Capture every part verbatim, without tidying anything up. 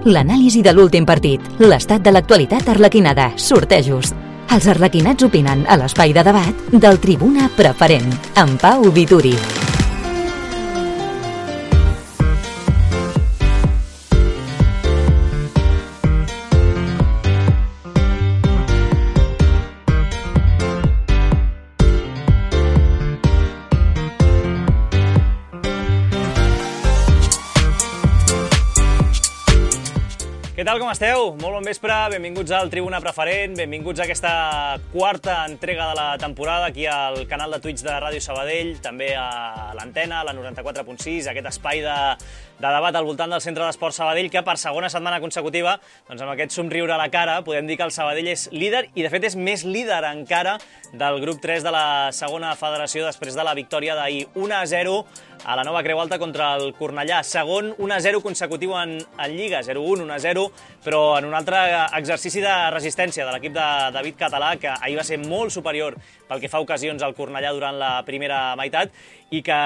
l'anàlisi de l'últim partit, l'estat de l'actualitat arlequinada, sortejos. Els arlequinats opinen a l'espai de debat del Tribuna Preferent, amb Pau Vituri. Què tal, com esteu? Molt bon vespre, benvinguts al Tribuna Preferent, benvinguts a aquesta quarta entrega de la temporada aquí al canal de Twitch de Ràdio Sabadell, també a l'antena, a la noranta-quatre punt sis, aquest espai de, de debat al voltant del Centre d'Esports Sabadell, que per segona setmana consecutiva, doncs amb aquest somriure a la cara, podem dir que el Sabadell és líder i de fet és més líder encara del grup tres de la segona federació després de la victòria d'ahir un a zero a la Nova Creu Alta contra el Cornellà. Segon un a zero consecutiu en, en Lliga, zero un, un a zero, però en un altre exercici de resistència de l'equip de David Català, que ahir va ser molt superior pel que fa a ocasions al Cornellà durant la primera meitat i que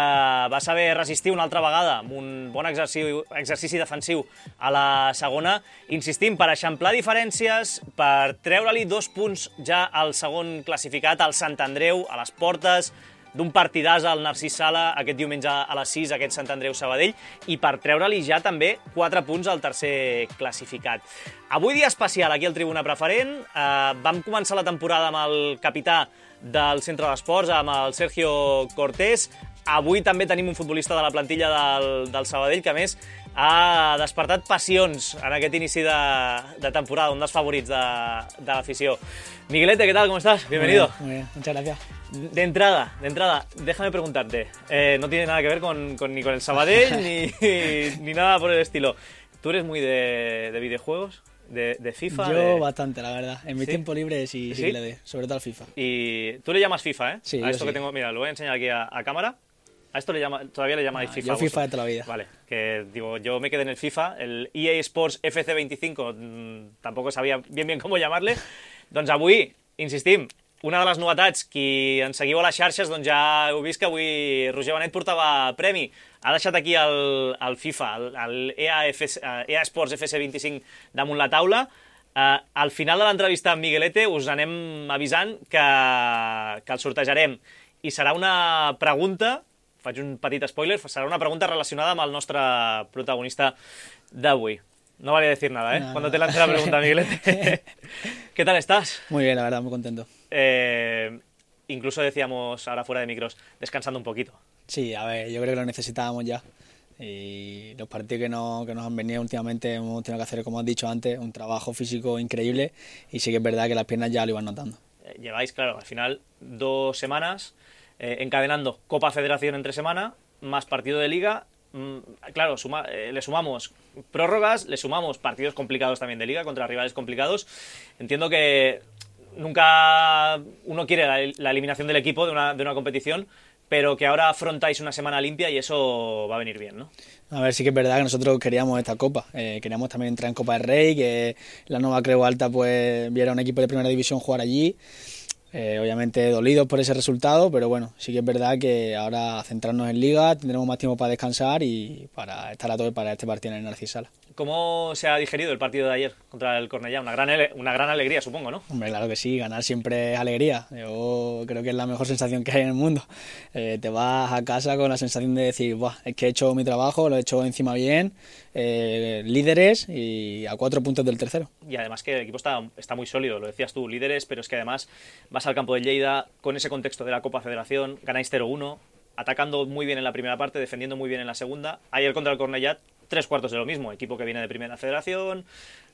va saber resistir una altra vegada amb un bon exercici, exercici defensiu a la segona, insistim, per eixamplar diferències, per treure-li dos punts ja al segon classificat, al Sant Andreu, a les portes d'un partidàs al Narcís Sala aquest diumenge a les sis, aquest Sant Andreu-Sabadell, i per treure-li ja també quatre punts al tercer classificat. Avui dia especial aquí al Tribuna Preferent. Eh, vam començar la temporada amb el capità del Centre d'Esports, amb el Sergio Cortés. Avui també tenim un futbolista de la plantilla del, del Sabadell que, a més, ha despertat passions en aquest inici de, de temporada, un dels favorits de, de l'afició. Miguelete, ¿qué tal? ¿Cómo estás? Bienvenido. Muy bien, muy bien. Muchas gracias. De entrada, de entrada, déjame preguntarte, eh, no tiene nada que ver con, con, ni con el Sabadell ni, ni nada por el estilo. ¿Tú eres muy de, de videojuegos? ¿De, de FIFA? Yo de... bastante, la verdad. En mi ¿Sí? tiempo libre sí, sí, ¿Sí? que le doy, sobre todo al FIFA. Y tú le llamas FIFA, ¿eh? Sí, a esto sí. que tengo, mira, lo voy a enseñar aquí a, a cámara. A esto le llama, todavía le llamáis no, FIFA. Yo FIFA de toda la vida. Vale, que digo, yo me quedé en el FIFA, el E A Sports F C veinticinco, mmm, tampoco sabia bien bien com llamarle. Doncs avui, insistim, una de les novetats, qui ens seguiu a les xarxes, doncs ja heu vist que avui Roger Benet portava premi. Ha deixat aquí el, el FIFA, el, el E A, F C, E A Sports F C veinticinc damunt la taula. Uh, al final de l'entrevista amb Miguelete us anem avisant que, que el sortejarem. I serà una pregunta, faig un petit spoiler, serà una pregunta relacionada amb el nostre protagonista d'avui. No vale decir nada, ¿eh? No, Cuando no. te lance la pregunta, Miguelete. ¿Qué tal estás? Muy bien, la verdad, muy contento. Eh, incluso decíamos ahora fuera de micros, descansando un poquito. Sí, a ver, yo creo que lo necesitábamos ya. Y los partidos que, no, que nos han venido últimamente hemos tenido que hacer, como has dicho antes, un trabajo físico increíble y sí que es verdad que las piernas ya lo iban notando. Eh, lleváis, claro, al final dos semanas eh, encadenando Copa Federación entre semana, más partido de Liga. Mm, claro, suma, eh, le sumamos prórrogas, le sumamos partidos complicados también de Liga contra rivales complicados. Entiendo que nunca uno quiere la, la eliminación del equipo de una, de una competición, pero que ahora afrontáis una semana limpia y eso va a venir bien, ¿no? A ver, sí que es verdad que nosotros queríamos esta Copa, eh, queríamos también entrar en Copa del Rey, que la Nova Creu Alta pues viera un equipo de primera división jugar allí. Eh, obviamente dolidos por ese resultado, pero bueno, sí que es verdad que ahora centrarnos en Liga, tendremos más tiempo para descansar y para estar a tope para este partido en el Narcís Sala. ¿Cómo se ha digerido el partido de ayer contra el Cornellà? Una gran, una gran alegría, supongo, ¿no? Hombre, claro que sí, ganar siempre es alegría. Yo creo que es la mejor sensación que hay en el mundo. Eh, te vas a casa con la sensación de decir, Buah, es que he hecho mi trabajo, lo he hecho encima bien, eh, líderes y a cuatro puntos del tercero. Y además que el equipo está, está muy sólido, lo decías tú, líderes, pero es que además vas al campo de Lleida con ese contexto de la Copa Federación, ganáis cero uno, atacando muy bien en la primera parte, defendiendo muy bien en la segunda. Ayer contra el Cornellà, tres cuartos de lo mismo, equipo que viene de primera federación,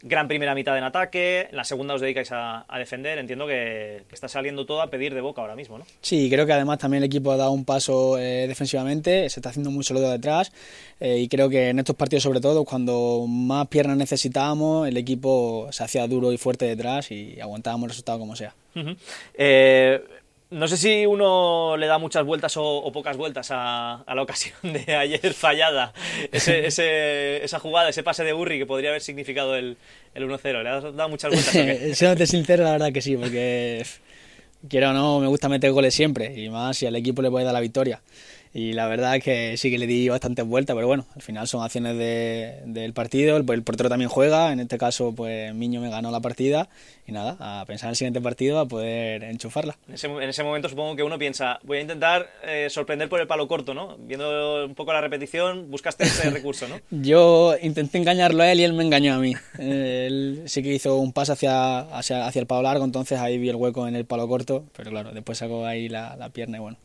gran primera mitad en ataque, en la segunda os dedicáis a, a defender. Entiendo que, que está saliendo todo a pedir de boca ahora mismo, ¿no? Sí, creo que además también el equipo ha dado un paso eh, defensivamente, se está haciendo muy sólido detrás eh, y creo que en estos partidos sobre todo, cuando más piernas necesitábamos, el equipo se hacía duro y fuerte detrás y aguantábamos el resultado como sea. Uh-huh. eh... No sé si uno le da muchas vueltas o, o pocas vueltas a, a la ocasión de ayer fallada, ese, ese, esa jugada, ese pase de Burri que podría haber significado el, el uno cero. ¿Le has dado muchas vueltas o qué? Siéndote sincero, la verdad que sí, porque quiero o no, me gusta meter goles siempre, y más si al equipo le puede dar la victoria. y la verdad es que sí que le di bastantes vueltas, pero bueno, al final son acciones de, del partido, el, el portero también juega, en este caso pues Miño me ganó la partida y nada, a pensar en el siguiente partido a poder enchufarla. En ese, en ese momento supongo que uno piensa, voy a intentar eh, sorprender por el palo corto, ¿no? Viendo un poco la repetición, buscaste ese recurso, ¿no? Yo intenté engañarlo a él y él me engañó a mí. Él sí que hizo un pase hacia, hacia, hacia el palo largo, entonces ahí vi el hueco en el palo corto, pero claro, después sacó ahí la, la pierna y bueno,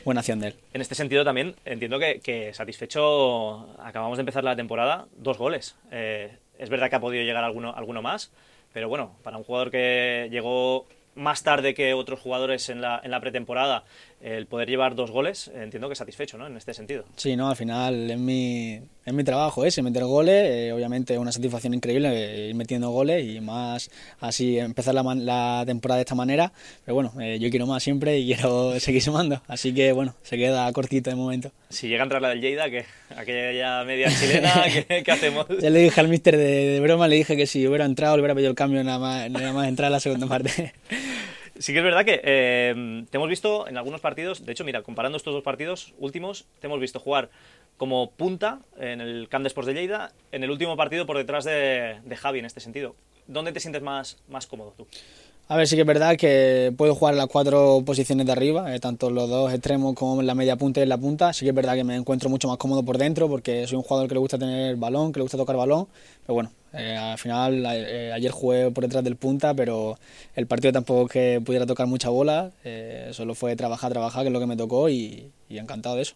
buena acción de él. En este sentido también entiendo que, que satisfecho, acabamos de empezar la temporada, dos goles. Eh, es verdad que ha podido llegar alguno, alguno más, pero bueno, para un jugador que llegó más tarde que otros jugadores en la, en la pretemporada, el poder llevar dos goles, entiendo que satisfecho, ¿no? En este sentido. Sí, no, al final es mi, es mi trabajo ese, meter goles, eh, obviamente es una satisfacción increíble eh, ir metiendo goles y más así empezar la, la temporada de esta manera, pero bueno, eh, yo quiero más siempre y quiero seguir sumando, así que bueno, se queda cortito de momento. Si llega a entrar la del Lleida, ¿qué? Aquella media chilena, ¿qué, ¿qué hacemos? Ya le dije al míster de, de broma, le dije que si hubiera entrado, le hubiera pedido el cambio nada más, nada más entrar a la segunda parte. Sí que es verdad que eh, te hemos visto en algunos partidos, de hecho, mira, comparando estos dos partidos últimos, te hemos visto jugar como punta en el Camp de Sports de Lleida, en el último partido por detrás de, de Javi en este sentido. ¿Dónde te sientes más, más cómodo tú? A ver, sí que es verdad que puedo jugar en las cuatro posiciones de arriba, eh, tanto en los dos extremos como en la media punta y en la punta. Sí que es verdad que me encuentro mucho más cómodo por dentro porque soy un jugador que le gusta tener balón, que le gusta tocar balón. Pero bueno, eh, al final eh, ayer jugué por detrás del punta, pero el partido tampoco es que pudiera tocar mucha bola. Eh, solo fue trabajar, trabajar, que es lo que me tocó y, y encantado de eso.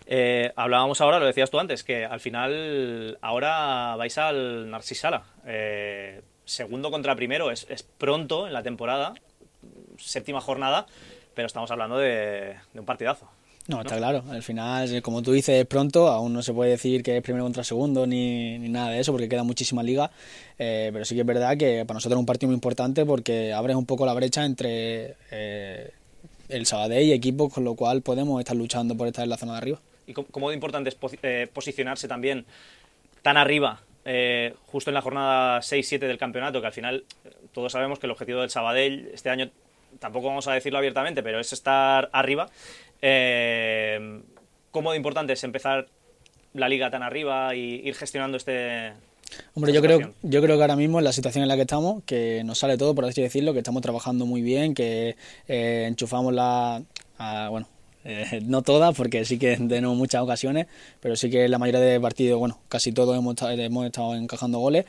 Eh, hablábamos ahora, lo decías tú antes, que al final ahora vais al Narcís Sala. Eh, segundo contra primero, es, es pronto en la temporada, séptima jornada, pero estamos hablando de, de un partidazo. No, ¿no? Está claro, al final, como tú dices, es pronto, aún no se puede decir que es primero contra segundo ni, ni nada de eso porque queda muchísima liga, eh, pero sí que es verdad que para nosotros es un partido muy importante porque abres un poco la brecha entre eh, el Sabadell y equipos, con lo cual podemos estar luchando por estar en la zona de arriba. ¿Y cómo, cómo de importante es posi- eh, posicionarse también tan arriba? Eh, justo en la jornada seis siete del campeonato, que al final eh, todos sabemos que el objetivo del Sabadell este año, tampoco vamos a decirlo abiertamente, pero es estar arriba. Eh, ¿Cómo de importante es empezar la liga tan arriba y ir gestionando este... Hombre, yo creo, yo creo que ahora mismo en la situación en la que estamos, que nos sale todo, por así decirlo, que estamos trabajando muy bien, que eh, enchufamos la... A, bueno, Eh, no todas, porque sí que tenemos muchas ocasiones, pero sí que en la mayoría de partidos, bueno, casi todos hemos estado, hemos estado encajando goles.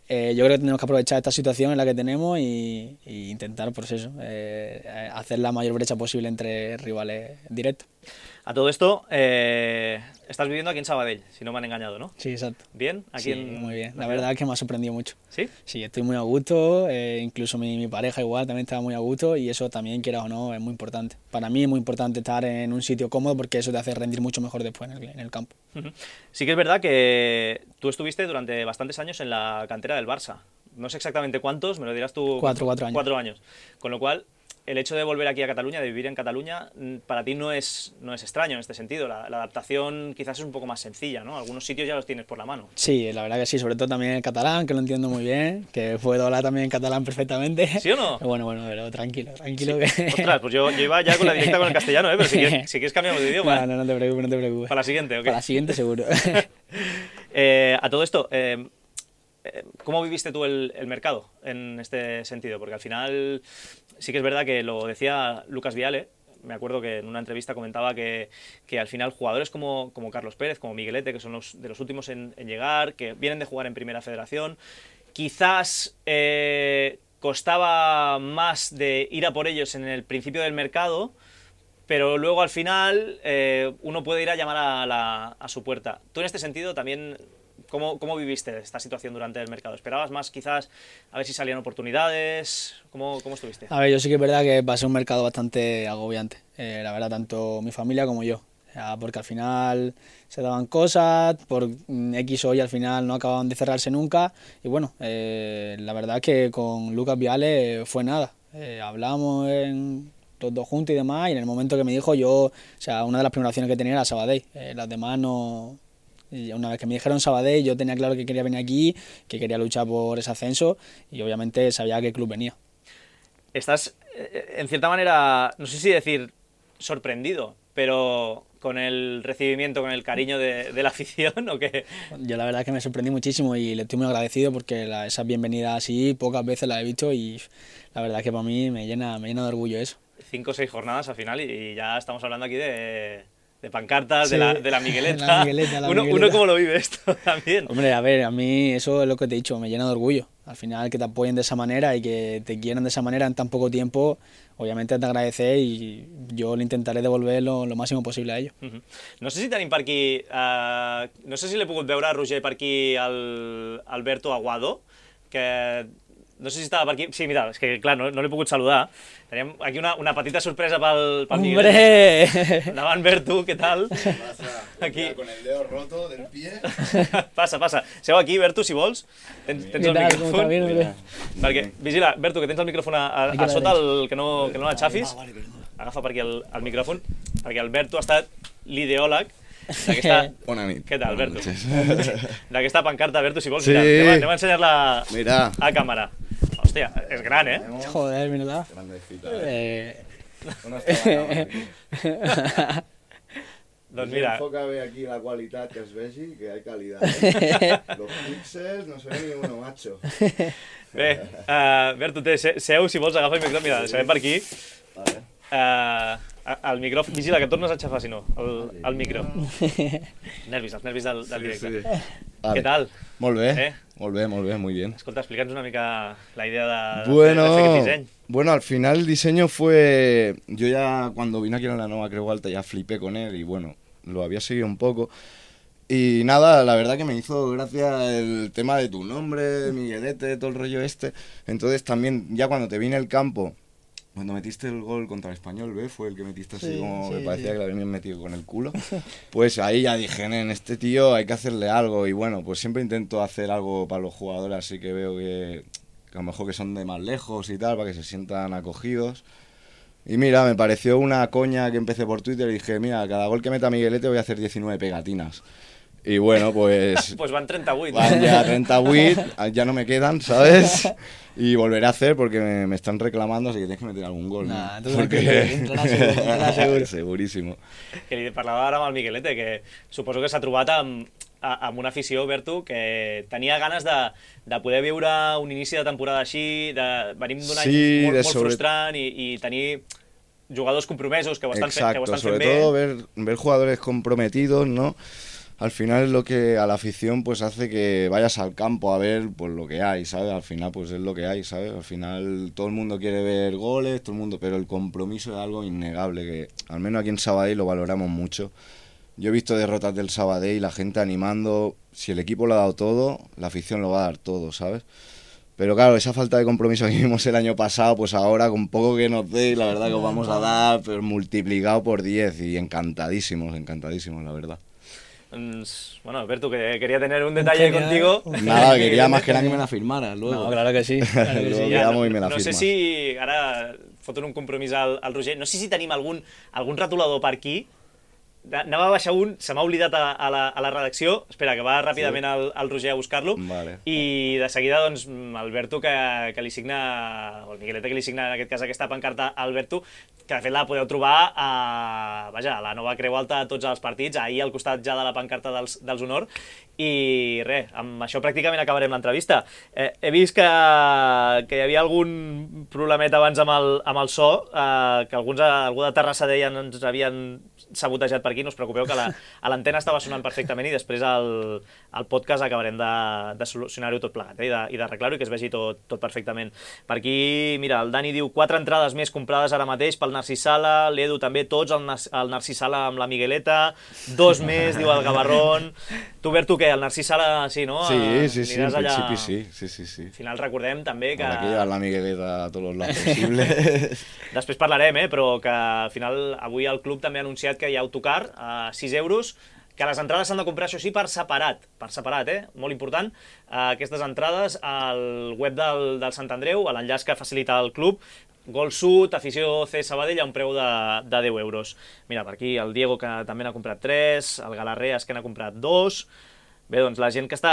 Eh, yo creo que tenemos que aprovechar esta situación en la que tenemos y, y intentar, pues eso, eh, hacer la mayor brecha posible entre rivales directos. A todo esto, eh, estás viviendo aquí en Sabadell, si no me han engañado, ¿no? Sí, exacto. ¿Bien? Aquí Sí, en... muy bien. La verdad es que me ha sorprendido mucho. ¿Sí? Sí, estoy muy a gusto, eh, incluso mi, mi pareja igual también estaba muy a gusto y eso también, quieras o no, es muy importante. Para mí es muy importante estar en un sitio cómodo porque eso te hace rendir mucho mejor después en el, en el campo. Sí que es verdad que tú estuviste durante bastantes años en la cantera del Barça. No sé exactamente cuántos, me lo dirás tú. Cuatro, cuatro años. Cuatro años. Con lo cual, el hecho de volver aquí a Cataluña, de vivir en Cataluña, para ti no es, no es extraño en este sentido. La, la adaptación quizás es un poco más sencilla, ¿no? Algunos sitios ya los tienes por la mano. Sí, la verdad que sí, sobre todo también el catalán, que lo entiendo muy bien, que puedo hablar también en catalán perfectamente. ¿Sí o no? Bueno, bueno, pero tranquilo, tranquilo. Sí. Que... Ostras, pues yo, yo iba ya con la directa con el castellano, ¿eh? Pero si quieres, si quieres cambiamos de idioma. No, no, no te preocupes, no te preocupes. Para la siguiente, ¿ok? Para la siguiente seguro. eh, a todo esto... Eh, ¿Cómo viviste tú el, el mercado en este sentido? Porque al final sí que es verdad que lo decía Lucas Viale, me acuerdo que en una entrevista comentaba que, que al final jugadores como, como Carlos Pérez, como Miguelete, que son los de los últimos en, en llegar, que vienen de jugar en Primera Federación, quizás eh, costaba más de ir a por ellos en el principio del mercado, pero luego al final eh, uno puede ir a llamar a, la, a su puerta. Tú en este sentido también... ¿Cómo, ¿Cómo viviste esta situación durante el mercado? ¿Esperabas más quizás a ver si salían oportunidades? ¿Cómo, cómo estuviste? A ver, yo sí que es verdad que pasé un mercado bastante agobiante, eh, la verdad, tanto mi familia como yo, ya, porque al final se daban cosas, por X o Y al final no acababan de cerrarse nunca y bueno, eh, la verdad que con Lucas Viale fue nada, eh, hablamos en... los dos juntos y demás y en el momento que me dijo yo, o sea, una de las primeras opciones que tenía era Sabadell, eh, las demás no... Y una vez que me dijeron Sabadell, yo tenía claro que quería venir aquí, que quería luchar por ese ascenso y obviamente sabía a qué club venía. Estás, en cierta manera, no sé si decir sorprendido, pero con el recibimiento, con el cariño de, de la afición, ¿o qué? Yo la verdad es que me sorprendí muchísimo y le estoy muy agradecido porque la, esas bienvenidas así pocas veces las he visto y la verdad es que para mí me llena, me llena de orgullo eso. Cinco o seis jornadas al final y ya estamos hablando aquí de, de pancartas, Sí, de, la, de la Migueleta. la Migueleta, la uno, Migueleta. uno cómo lo vive esto también. Hombre, a ver, a mí eso es lo que te he dicho, me llena de orgullo. Al final que te apoyen de esa manera y que te quieran de esa manera en tan poco tiempo, obviamente te agradecer y yo le intentaré devolver lo, lo máximo posible a ellos. Uh -huh. No sé si tenim per aquí, uh, no sé si l'he pogut veure, Roger, per aquí el Alberto Aguado, que no sé si estava per aquí, sí, mira, és que clar, no, no l'he pogut saludar. Teníem aquí una, una petita sorpresa pel, pel Miguel. ¡Hombre! Endavant, Bertu, què tal? Pasa, aquí. Con el dedo roto del pie. Passa, passa. Seu aquí, Bertu, si vols. Tens, tens el micròfon. Perquè, vigila, Bertu, que tens el micròfon a, a, a sota, el, que no, que no l'enxafis. Agafa per aquí el, el micròfon, perquè el Bertu ha estat l'ideòleg d'aquesta... Bona nit. Què tal, Bertu? D'aquesta pancarta, Bertu, si vols, sí. mira, anem a, anem a ensenyar-la Mira. a càmera. Hòstia, és gran, eh? Joder, ¿verdad? Grandecita. Eh... Una estabana, Doncs mira... Enfoca bé aquí la qualitat que es vegi, que hay calidad. ¿eh? Los píxels no se ve ni uno, macho. Bé, uh, Bertu, té, seu, si vols, agafa el micròfon, mira, deixarem per aquí. Vale. Uh, el micròfon, vigila, que et tornes a aixafar, si no, el, el micro. Nervis, els nervis del, del directe. Sí, sí. Vale. Què tal? Molt bé, Eh? molt bé, molt bé, muy bien. Escolta, explica'ns una mica la idea de, Bueno, de, de fer aquest disseny. bueno, al final el diseño fue... Yo ya cuando vine aquí en la Nova Creu Alta ya flipé con él y bueno, lo había seguido un poco. Y nada, la verdad que me hizo gracia el tema de tu nombre, Miguelete, todo el rollo este. Entonces también, ya cuando te vi en el campo, cuando metiste el gol contra el Español B, fue el que metiste así Sí, como sí, me parecía sí. que lo habían metido con el culo. Pues ahí ya dije, en este tío hay que hacerle algo. Y bueno, pues siempre intento hacer algo para los jugadores, así que veo que, que a lo mejor que son de más lejos y tal, para que se sientan acogidos. Y mira, me pareció una coña que empecé por Twitter y dije, mira, cada gol que meta Miguelete voy a hacer diecinueve pegatinas. Y bueno, pues... Pues van trenta-vuit. Van ya treinta-vuit, ya no me quedan, ¿sabes? Y volveré a hacer porque me, me están reclamando, así que tienes que meter algun gol. Nah, ¿no? tu Porque... entrarà segur, entrarà segur. Segurísimo. Que li parlava ara amb el Miguelete, que suposo que s'ha trobat amb, amb una afició, Bertu, que tenia ganes de, de poder viure un inici de temporada així, de, venim d'un any Sí, molt, de molt sobre- frustrant i, i tenir jugadors compromesos que ho estan, fe, que ho Exacto, estan fent sobre bé. todo ver, ver jugadores comprometidos, ¿no? Al final es lo que a la afición pues hace que vayas al campo a ver pues lo que hay, ¿sabes? Al final pues es lo que hay, ¿sabes? Al final todo el mundo quiere ver goles, todo el mundo, pero el compromiso es algo innegable que al menos aquí en Sabadell lo valoramos mucho. Yo he visto derrotas del Sabadell y la gente animando, si el equipo lo ha dado todo, la afición lo va a dar todo, ¿sabes? Pero claro, esa falta de compromiso que vimos el año pasado, pues ahora con poco que nos dé, la verdad que os vamos a dar, pero multiplicado por diez y encantadísimos, encantadísimos, la verdad. Doncs, bueno, Bertu, que quería tener un detalle Genial. contigo. Nada, quería más que nada que me la firmaras luego. No, claro que sí. Claro que Luego sí. quedamos y me la no sé firmas. si, ara foten un compromís al, al Roger, no sé si tenim algun, algun retolador per aquí. Anava a baixar un, se m'ha oblidat a, a, la, a la redacció. Espera, que va ràpidament el, el Roger a buscar-lo. Vale. I de seguida, doncs, el Bertu que, que li signa, o el Miguelete que li signa en aquest cas aquesta pancarta al Bertu, que de fet la podeu trobar a, vaja, a la Nova Creu Alta a tots els partits, ahir al costat ja de la pancarta dels, dels Honor. I res, amb això pràcticament acabarem l'entrevista. Eh, he vist que, que hi havia algun problemet abans amb el, amb el so, eh, que alguns, algú de Terrassa deien ens havien sabotejat per aquí, no us preocupeu que la, a l'antena estava sonant perfectament i després al, al podcast acabarem de, de solucionar-ho tot plegat, eh, i de- i d'arreglar-ho i que es vegi tot, tot perfectament. Per aquí, mira, el Dani diu quatre entrades més comprades ara mateix pel Narcís Sala, l'Edu també, tots, el, Nas- el Narcís Sala amb la Migueleta, dos més, diu el Gavarrón. Tu, Bertu, què? El Narcís Sala, sí, no? Sí, Eh, sí, sí, en aniràs allà- principi sí, sí, sí, sí. Al final recordem també que... Habrá que llevar la Migueleta a todos los lados posibles. Després parlarem, eh, però que al final avui el club també ha anunciat que hi ha autocar a sis euros, que les entrades s'han de comprar, això sí, per separat, per separat, eh? Molt important, eh, aquestes entrades al web del, del Sant Andreu, a l'enllaç que facilita el club, Gol Sud, afició C Sabadell, a un preu de, de deu euros. Mira, per aquí el Diego, que també n'ha comprat tres, el Galarreas, que n'ha comprat dos. Bé, doncs la gent que està,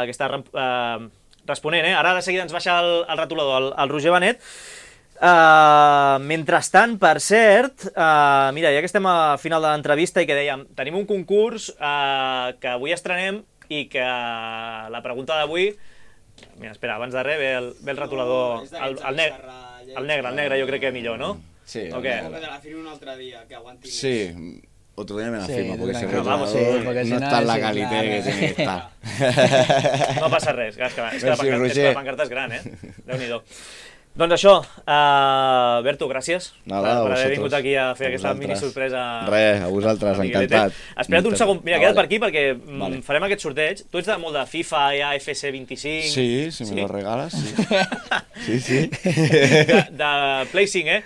que està eh, responent, eh? Ara de seguida ens baixa el, el retolador, el, el Roger Benet. Uh, mentrestant, per cert, uh, mira, ja que estem a final de l'entrevista i que dèiem, tenim un concurs uh, que avui estrenem i que uh, la pregunta d'avui... Mira, espera, abans de res ve el, ve el retolador, no, el, el, neg el negre, el negre jo crec que millor, ¿no? Sí. ¿O qué? Te la firmo un otro día, que aguante. Sí, otro día me la Sí, firma, porque ese tranquilo, retolador vamos, sí, porque si no no, está en la sí, calidad claro. que tiene que estar. No passa res, és que, és que, la, Merci, pancarta, és que Roger. la pancarta és gran, eh? Déu-n'hi-do. Doncs això, uh, Berto, gràcies Nada, per, a per haver vosaltres. vingut aquí a fer A aquesta vosaltres. mini sorpresa. Res, a vosaltres, a Miguelete. encantat. Espera't un segon, mira, Ah, queda't vale. per aquí perquè mm, Vale. farem aquest sorteig. Tu ets de molt de FIFA, A F C vint-i-cinc... Sí, si me lo regalas, sí. Sí, sí. De, de Play cinc, eh?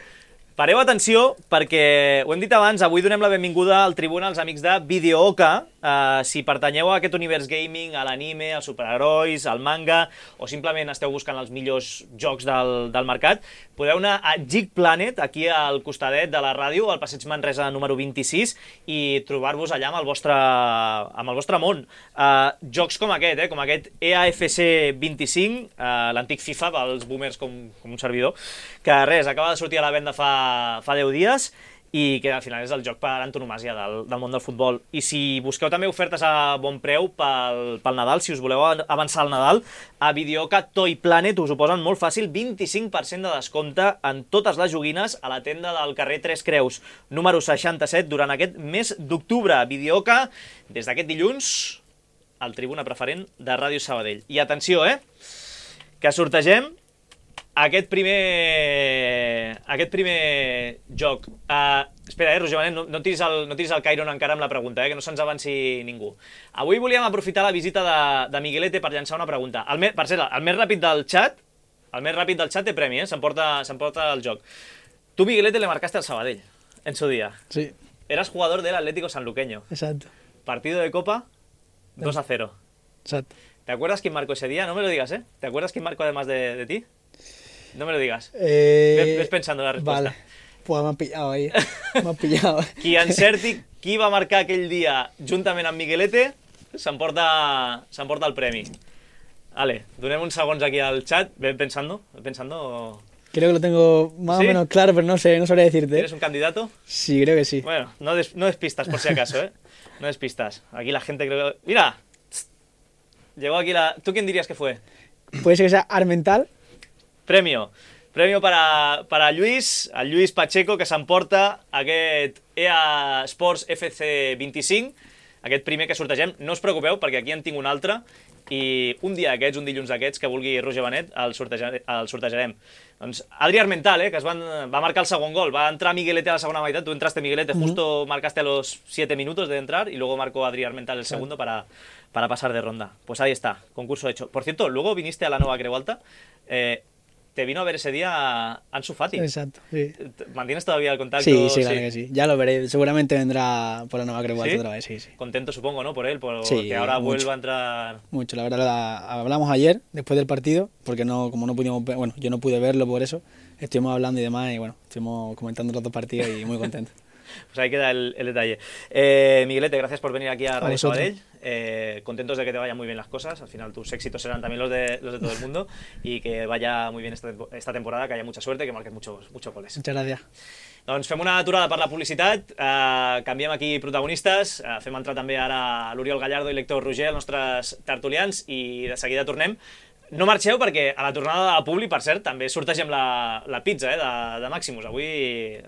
Pareu atenció perquè, ho hem dit abans, avui donem la benvinguda al Tribuna als amics de Videooka. Uh, si pertanyeu a aquest univers gaming, a l'anime, als superherois, al manga, o simplement esteu buscant els millors jocs del, del mercat, podeu anar a Geek Planet, aquí al costadet de la ràdio, al passeig Manresa número vint-i-sis, i trobar-vos allà amb el vostre, amb el vostre món. Uh, jocs com aquest, eh? Com aquest E A F C vint-i-cinc, uh, l'antic FIFA, pels boomers com, com un servidor, que res, acaba de sortir a la venda fa, fa deu dies, i que al final és el joc per antonomàsia del, del món del futbol. I si busqueu també ofertes a bon preu pel, pel Nadal, si us voleu avançar al Nadal, a Videooka Toy Planet us ho posen molt fàcil, vint-i-cinc per cent de descompte en totes les joguines a la tenda del carrer Tres Creus, número seixanta-set, durant aquest mes d'octubre. Videooka, des d'aquest dilluns, al Tribuna Preferent de Ràdio Sabadell. I atenció, eh, que sortegem aquest primer, aquest primer joc. Uh, espera, eh, Roger Benet, no, no, tiris el, no tiris el Cairon encara amb la pregunta, eh, que no se'ns avanci ningú. Avui volíem aprofitar la visita de, de Miguelete per llançar una pregunta. El me, per cert, el més ràpid del xat, el més ràpid del xat té premi, eh, s'emporta s'emporta el joc. Tu, Miguelete, le marcaste al Sabadell en su día. Sí, Eras jugador del Atlético Sanluqueño. exacto, Partido de Copa, dos a cero. exacto. ¿Te acuerdas quién marcó ese día? No me lo digas, ¿eh? ¿Te acuerdas quién marcó además de, de ti? No me lo digas. Eh, Ves, ves pensando la respuesta. Vale, pues me han pillado ahí, me han pillado. Qui encerti qui va marcar aquell dia juntament amb Miguelete s'emporta s'emporta el premi. Vale, donem uns segons aquí al chat. Ven pensando, ven pensando. Creo que lo tengo más ¿Sí? o menos claro, pero no sé, no sabría decirte. ¿Eres un candidato? Sí, creo que sí. Bueno, no, des, no despistas por si acaso, ¿eh? No despistas. Aquí la gente creo que... ¡Mira! Llegó aquí la... ¿Tú quién dirías que fue? Puede ser que sea Armental. Premio. Premio para, para Lluís, el Lluís Pacheco, que s'emporta aquest E A Sports F C vint-i-cinc, aquest primer que sortegem. No us preocupeu, perquè aquí en tinc un altre, i un dia d'aquests, un dilluns d'aquests, que vulgui Roger Benet, el, sorteja, el sortejarem. Doncs Adri Armental, eh, que es van, va marcar el segon gol, va entrar Miguelete a la segunda mitad, tú entraste Miguelete, Uh-huh. justo marcaste a los siete minutos de entrar, y luego marcó Adri Armental el segundo para, para pasar de ronda. Pues ahí está, concurso hecho. Por cierto, luego viniste a la Nova Creu Alta, eh, te vino a ver ese día Ansu Fati. Exacto, sí. ¿Mantienes todavía el contacto? Sí, sí, claro que sí. Ya lo veré. Seguramente vendrá por la Nueva Creu Alta ¿Sí? otra vez, sí, sí. Contento, supongo, ¿no? Por él, por Sí, que ahora mucho. vuelva a entrar... Mucho, la verdad, la- hablamos ayer, después del partido, porque no, como no pudimos, ver- bueno, yo no pude verlo por eso, estuvimos hablando y demás, y bueno, estuvimos comentando los dos partidos y muy contentos. Pues ahí queda el, el detalle. Eh, Miguelete, gracias por venir aquí a Radio vosotros. Sabadell. Eh, contentos de que te vayan muy bien las cosas. Al final tus éxitos serán también los de, los de todo el mundo. Y que vaya muy bien esta, tempo- esta temporada, que haya mucha suerte, que marques muchos, muchos goles. Muchas gracias. Doncs fem una aturada per la publicitat, eh, canviem aquí protagonistes, eh, fem entrar també ara l'Oriol Gallardo i l'Héctor Roger, els nostres tertulians, i de seguida tornem. No marxeu perquè a la tornada de Publi, per cert, també sortegem la, la pizza eh, de, de Maximus. Avui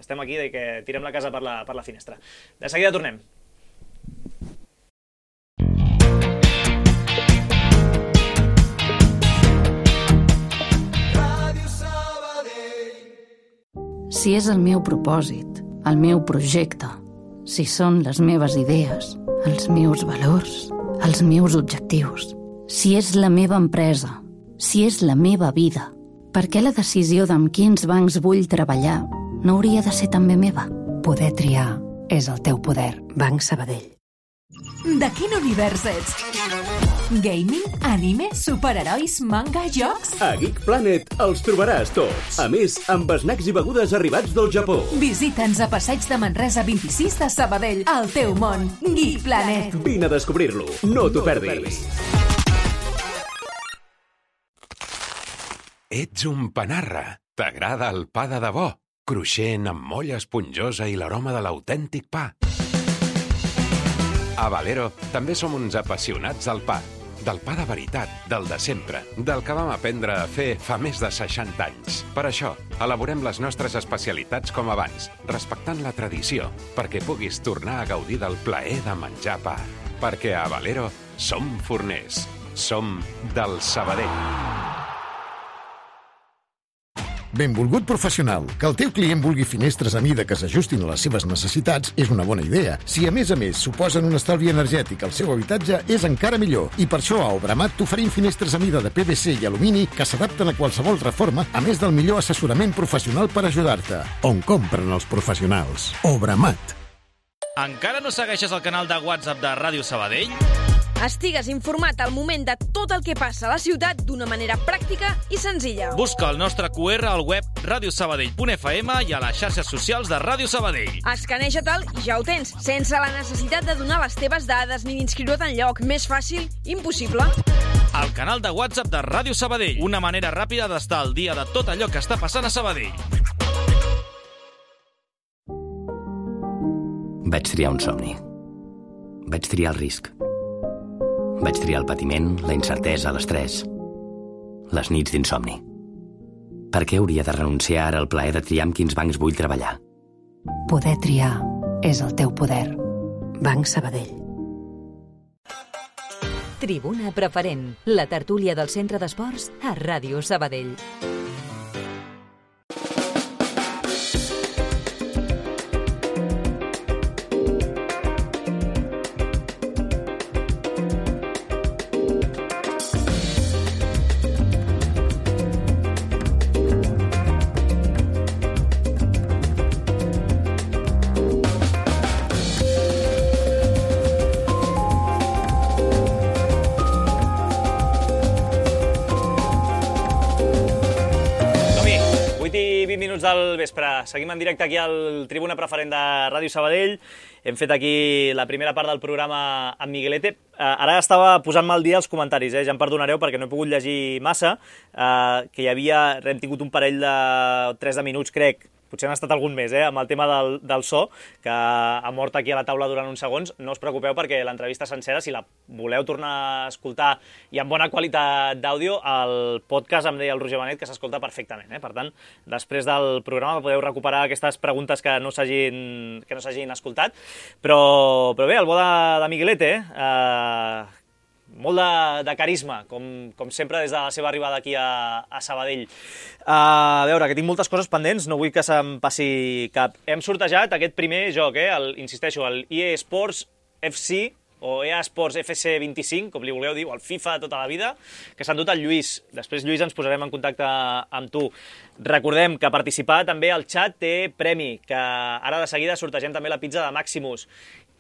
estem aquí de que tirem la casa per la, per la finestra. De seguida tornem. Si és el meu propòsit, el meu projecte, si són les meves idees, els meus valors, els meus objectius, si és la meva empresa, si és la meva vida, per què la decisió d'amb quins bancs vull treballar no hauria de ser també meva? Poder triar és el teu poder. Banc Sabadell. De quin univers ets? Gaming, anime, superherois, manga, jocs? A Geek Planet els trobaràs tots. A més, amb snacks i begudes arribats del Japó. Visita'ns a Passeig de Manresa vint-i-sis de Sabadell, el teu món. Geek Planet. Vine a descobrir-lo. No t'ho perdis. Ets un panarra. T'agrada el pa de debò? Cruixent, amb molla esponjosa i l'aroma de l'autèntic pa. A Valero també som uns apassionats del pa. Del pa de veritat, del de sempre, del que vam aprendre a fer fa més de seixanta anys. Per això, elaborem les nostres especialitats com abans, respectant la tradició, perquè puguis tornar a gaudir del plaer de menjar pa. Perquè a Valero som forners. Som del Sabadell. Benvolgut professional, que el teu client vulgui finestres a mida que s'ajustin a les seves necessitats és una bona idea. Si a més a més suposen un estalvi energètic al seu habitatge, és encara millor. I per això a Obramat t'oferim finestres a mida de P V C i alumini que s'adapten a qualsevol reforma, a més del millor assessorament professional per ajudar-te. On compren els professionals? Obramat. Encara no segueixes el canal de WhatsApp de Ràdio Sabadell? Estigues informat al moment de tot el que passa a la ciutat d'una manera pràctica i senzilla. Busca el nostre Q R al web radiosabadell punt f m i a les xarxes socials de Ràdio Sabadell. Escaneja-te'l i ja ho tens, sense la necessitat de donar les teves dades ni d'inscriure't enlloc. Més fàcil, impossible. El canal de WhatsApp de Ràdio Sabadell. Una manera ràpida d'estar al dia de tot allò que està passant a Sabadell. Vaig triar un somni. Vaig triar el risc. Vaig triar el patiment, la incertesa, l'estrès, les nits d'insomni. Per què hauria de renunciar ara al plaer de triar amb quins bancs vull treballar? Poder triar és el teu poder. Banc Sabadell. Tribuna Preferent, la tertúlia del Centre d'Esports a Ràdio Sabadell. Minuts del vespre. Seguim en directe aquí al Tribuna Preferent de Ràdio Sabadell. Hem fet aquí la primera part del programa amb Miguelete. Ara estava posant-me al dia els comentaris, eh? Ja em perdonareu perquè no he pogut llegir massa, eh, que hi havia, hem tingut un parell de tres de minuts, crec, potser han estat algun més, eh, amb el tema del, del so, que ha mort aquí a la taula durant uns segons. No us preocupeu perquè l'entrevista sencera, si la voleu tornar a escoltar i amb bona qualitat d'àudio, el podcast, em deia el Roger Benet, que s'escolta perfectament. Eh? Per tant, després del programa podeu recuperar aquestes preguntes que no s'hagin que no s'hagin escoltat. Però, però bé, el bo de, de Miguelete, eh, molt de, de carisma, com, com sempre des de la seva arribada aquí a, a Sabadell. Uh, a veure, que tinc moltes coses pendents, no vull que se'm passi cap. Hem sortejat aquest primer joc, eh, el, insisteixo, el E A Sports F C, o E A Sports F C vint-i-cinc, com li vulgueu dir, o el FIFA de tota la vida, que s'ha endut el Lluís. Després, Lluís, ens posarem en contacte amb tu. Recordem que participar també al xat té premi, que ara de seguida sortegem també la pizza de Maximus,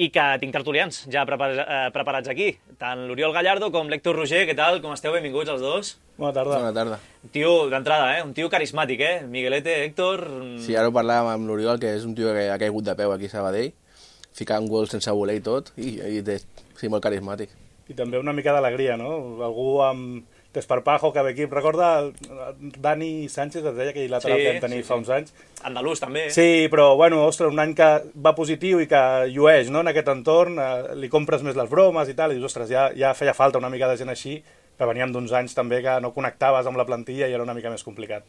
i que tinc tertulians ja preparats aquí, tant l'Oriol Gallardo com l'Héctor Roger. Què tal? Com esteu? Benvinguts els dos. Bona tarda. Bona tarda. Un tio d'entrada, eh? Un tio carismàtic, eh? Miguelete, Héctor... Sí, ara ho parlàvem amb l'Oriol, que és un tio que ha caigut de peu aquí a Sabadell, ficant gols sense voler i tot, i, i té, sí, molt carismàtic. I també una mica d'alegria, no? Algú amb desparpajo, que ve aquí. Recorda Dani Sánchez, es deia, que lateral sí, que vam tenir sí, fa sí. uns anys. Andalús, també. Sí, però, bueno, ostres, un any que va positiu i que llueix, no?, en aquest entorn, eh, li compres més les bromes i tal, i dius, ostres, ja, ja feia falta una mica de gent així, que veníem d'uns anys també que no connectaves amb la plantilla i era una mica més complicat.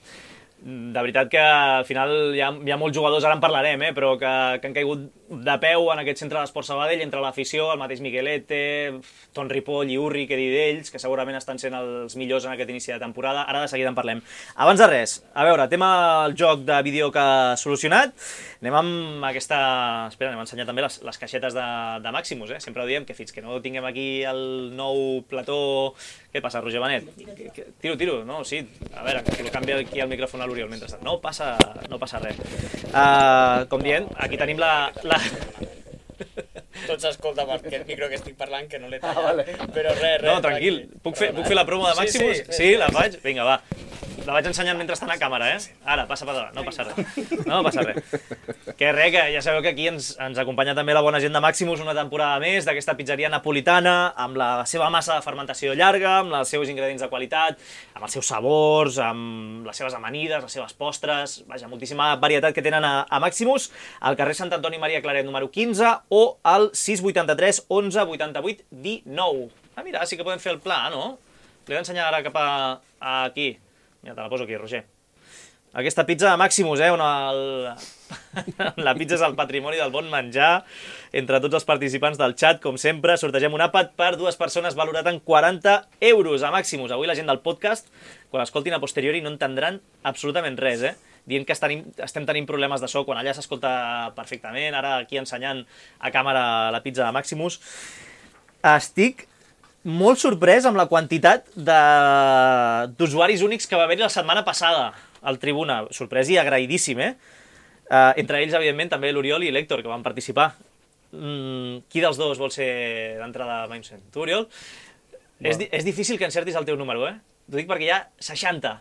De veritat que al final hi ha, hi ha molts jugadors, ara en parlarem, eh, però que, que han caigut de peu en aquest centre d'Esport Sabadell, entre l'afició, el mateix Miguelete, Ton Ripoll i Urri, que dir d'ells, que segurament estan sent els millors en aquest inici de temporada. Ara de seguida en parlem. Abans de res, a veure, tema el joc de vídeo que ha solucionat. Anem amb aquesta... Espera, anem a ensenyar també les, les caixetes de, de Maximus, eh? Sempre ho diem, que fins que no tinguem aquí el nou plató... Què passa, Roger Benet? Tiro, tiro, no? Sí, a veure, que canvia aquí el micròfon a l'Oriol mentrestant. No passa, no passa res. Uh, com dient, aquí tenim la... la... Tot s'escolta per aquest micro que estic parlant, que no l'he tallat. Ah, vale. Però res, res. No, tranquil. Puc fer, puc fer la promo de Maximus? Sí, sí, sí, sí la faig? Vinga, va. La vaig ensenyant mentre està a càmera, eh? Ara, passa per davant, no passa res. No passa res. Que res, que ja sabeu que aquí ens, ens acompanya també la bona gent de Maximus una temporada més d'aquesta pizzeria napolitana, amb la seva massa de fermentació llarga, amb els seus ingredients de qualitat, amb els seus sabors, amb les seves amanides, les seves postres, vaja, moltíssima varietat que tenen a, a Maximus, al carrer Sant Antoni Maria Claret número quinze o al sis vuitanta-tres onze vuitanta-vuit dinou. Ah, mira, sí que podem fer el pla, no? L'he d'ensenyar ara cap a, a aquí. Mira, te la poso aquí, Roger. Aquesta pizza de Maximus, eh, on el... la pizza és el patrimoni del bon menjar. Entre tots els participants del chat, com sempre, sortegem un àpat per dues persones valorat en quaranta euros a Maximus. Avui la gent del podcast, quan l'escoltin a posteriori, no entendran absolutament res, eh? Dient que estem, estem tenint problemes de so, quan allà s'escolta perfectament, ara aquí ensenyant a càmera la pizza de Maximus. Estic molt sorprès amb la quantitat d'usuaris únics que va haver-hi la setmana passada al Tribuna. Sorprès i agraïdíssim, eh? Uh, entre ells, evidentment, també l'Oriol i l'Héctor, que van participar. Mm, qui dels dos vol ser d'entrada a Mindset? Tu, Oriol? No. És, és difícil que encertis el teu número, eh? T'ho dic perquè hi ha seixanta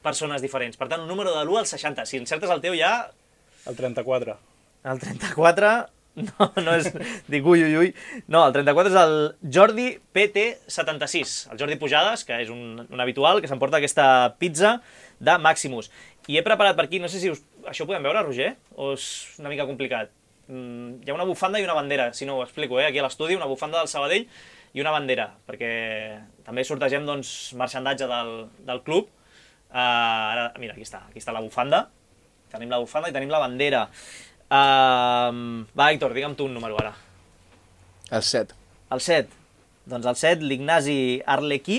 persones diferents. Per tant, un número de l'u al seixanta. Si encertes el teu ja... El trenta-quatre. El trenta-quatre... No, no és... Dic, ui, ui, ui. No, el trenta-quatre és el Jordi P T setanta-sis. El Jordi Pujades, que és un, un habitual, que s'emporta aquesta pizza de Maximus. I he preparat per aquí, no sé si us... Això ho podem veure, Roger? O és una mica complicat? Mm, hi ha una bufanda i una bandera, si no ho explico, eh? Aquí a l'estudi, una bufanda del Sabadell i una bandera, perquè també sortegem, doncs, marxandatge del, del club. Uh, ara, mira, aquí està, aquí està la bufanda. Tenim la bufanda i tenim la bandera. Uh, va, Héctor, digue'm tu un número ara. El set. El set. Doncs el set, l'Ignasi Arlequí.